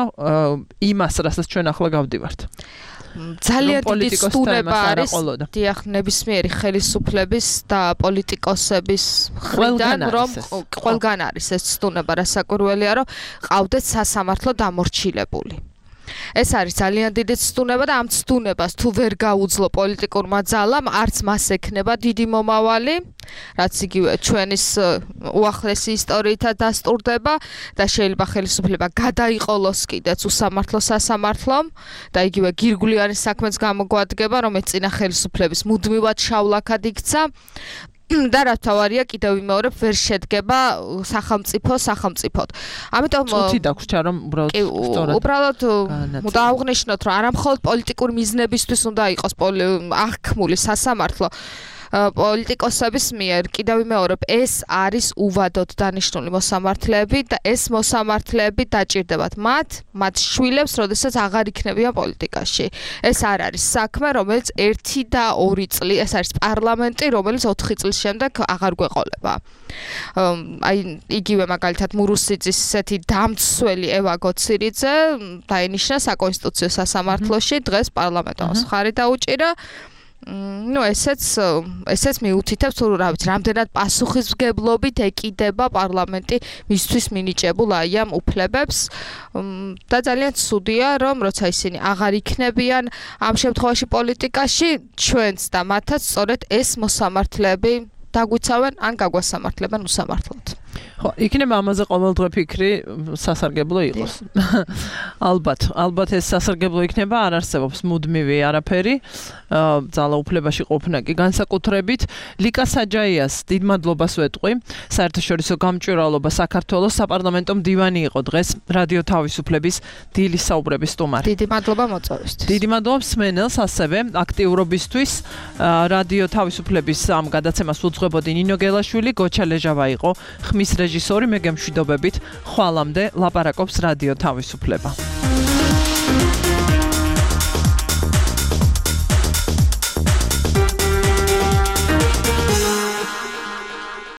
იმას, რასაც ჩვენ ახლა გავდივართ. ძალიან დიდი სტუნება არის დიახ ნებისმიერი ხელისუფლების და პოლიტიკოსების მხრიდან, რომ ყველგან არის ეს სტუნება, რასაკვირველია, რომ ყავდეთ სასამართლო დამორჩილებული. ეს არის ძალიან დიდი სტუნება და ამ სტუნებას თუ ვერ გაუძლო პოლიტიკურმა ძალამ, არც მას ექნება დიდი მომავალი, რაც იგივე ჩვენის უახლესი ისტორიითაც დასტურდება და შეიძლება ხელისუფლება გადაიყოლოს კიდეც უსამართლო სასამართლომ და იგივე გირგვლიანი საქმეც გამოგვადგება, რომელიც წინა ხელისუფლების მუდმივად შავლაქად იქცა. და რა თავარია კიდევ ვიმეორებ ვერ შედგება სახელმწიფო სახელმწიფოდ. ამიტომ წუთი დაგვრჩა რომ უბრალოდ სწორად უბრალოდ უნდა აღნიშნოთ რომ არა მხოლოდ პოლიტიკური მიზნებისთვის უნდა იყოს აღქმული სასამართლო პოლიტიკოსების მიერ კიდევ ვიმეორებ ეს არის უვადოდ დანიშნული მოსამართლეები და ეს მოსამართლეები დაჭირდებათ მათ მათ შვილებს როდესაც აღარ იქნებიან პოლიტიკაში ეს არ არის საქმე რომელიც ერთი და ორი წელი ეს არის პარლამენტი რომელიც ოთხი წლის შემდეგ აღარ გვეყოლება აი იგივე მაგალითად მურუსიძის ესეთი დამცველი ევა გოცირიძე დაინიშნა საკონსტიტუციო სასამართლოში დღეს პარლამენტოს ხარი დაუჭირა ну ესეც ესეც მიუთითებს თუ რა ვიცი რამდენად პასუხისმგებლობით ეკიდება პარლამენტი მისთვის მინიჭებულ აი ამ უფლებებს და ძალიან ცუდია რომ როცა ისინი აღარ იქნებიან ამ შემთხვევაში პოლიტიკაში ჩვენც და მათაც სწორედ ეს მოსამართლეები დაგვიცავენ ან გაგვასამართლებენ უსამართლოდ ხო, იქნება ამაზე ყოველდღე ფიქრი სასარგებლო იყოს. ალბათ, ალბათ ეს სასარგებლო იქნება, არ არსებობს მუდმივი არაფერი. ძალაუფლებაში ყოფნა კი განსაკუთრებით. ლიკა საჯაიას დიდ მადლობას ვეტყვი. საერთაშორისო გამჭვირვალობა საქართველოს საპარლამენტო მდივანი იყო დღეს რადიო თავისუფლების დილის საუბრების სტუმარი. დიდი მადლობა მოწვევისთვის. დიდი მადლობა მსმენელს ასევე აქტიურობისთვის. რადიო თავისუფლების ამ გადაცემას უძღვებოდი ნინო გელაშვილი, გოჩა ლეჟავა იყო ხმის რეჟისორი მე გემშვიდობებით ხვალამდე ლაპარაკობს რადიო თავისუფლება.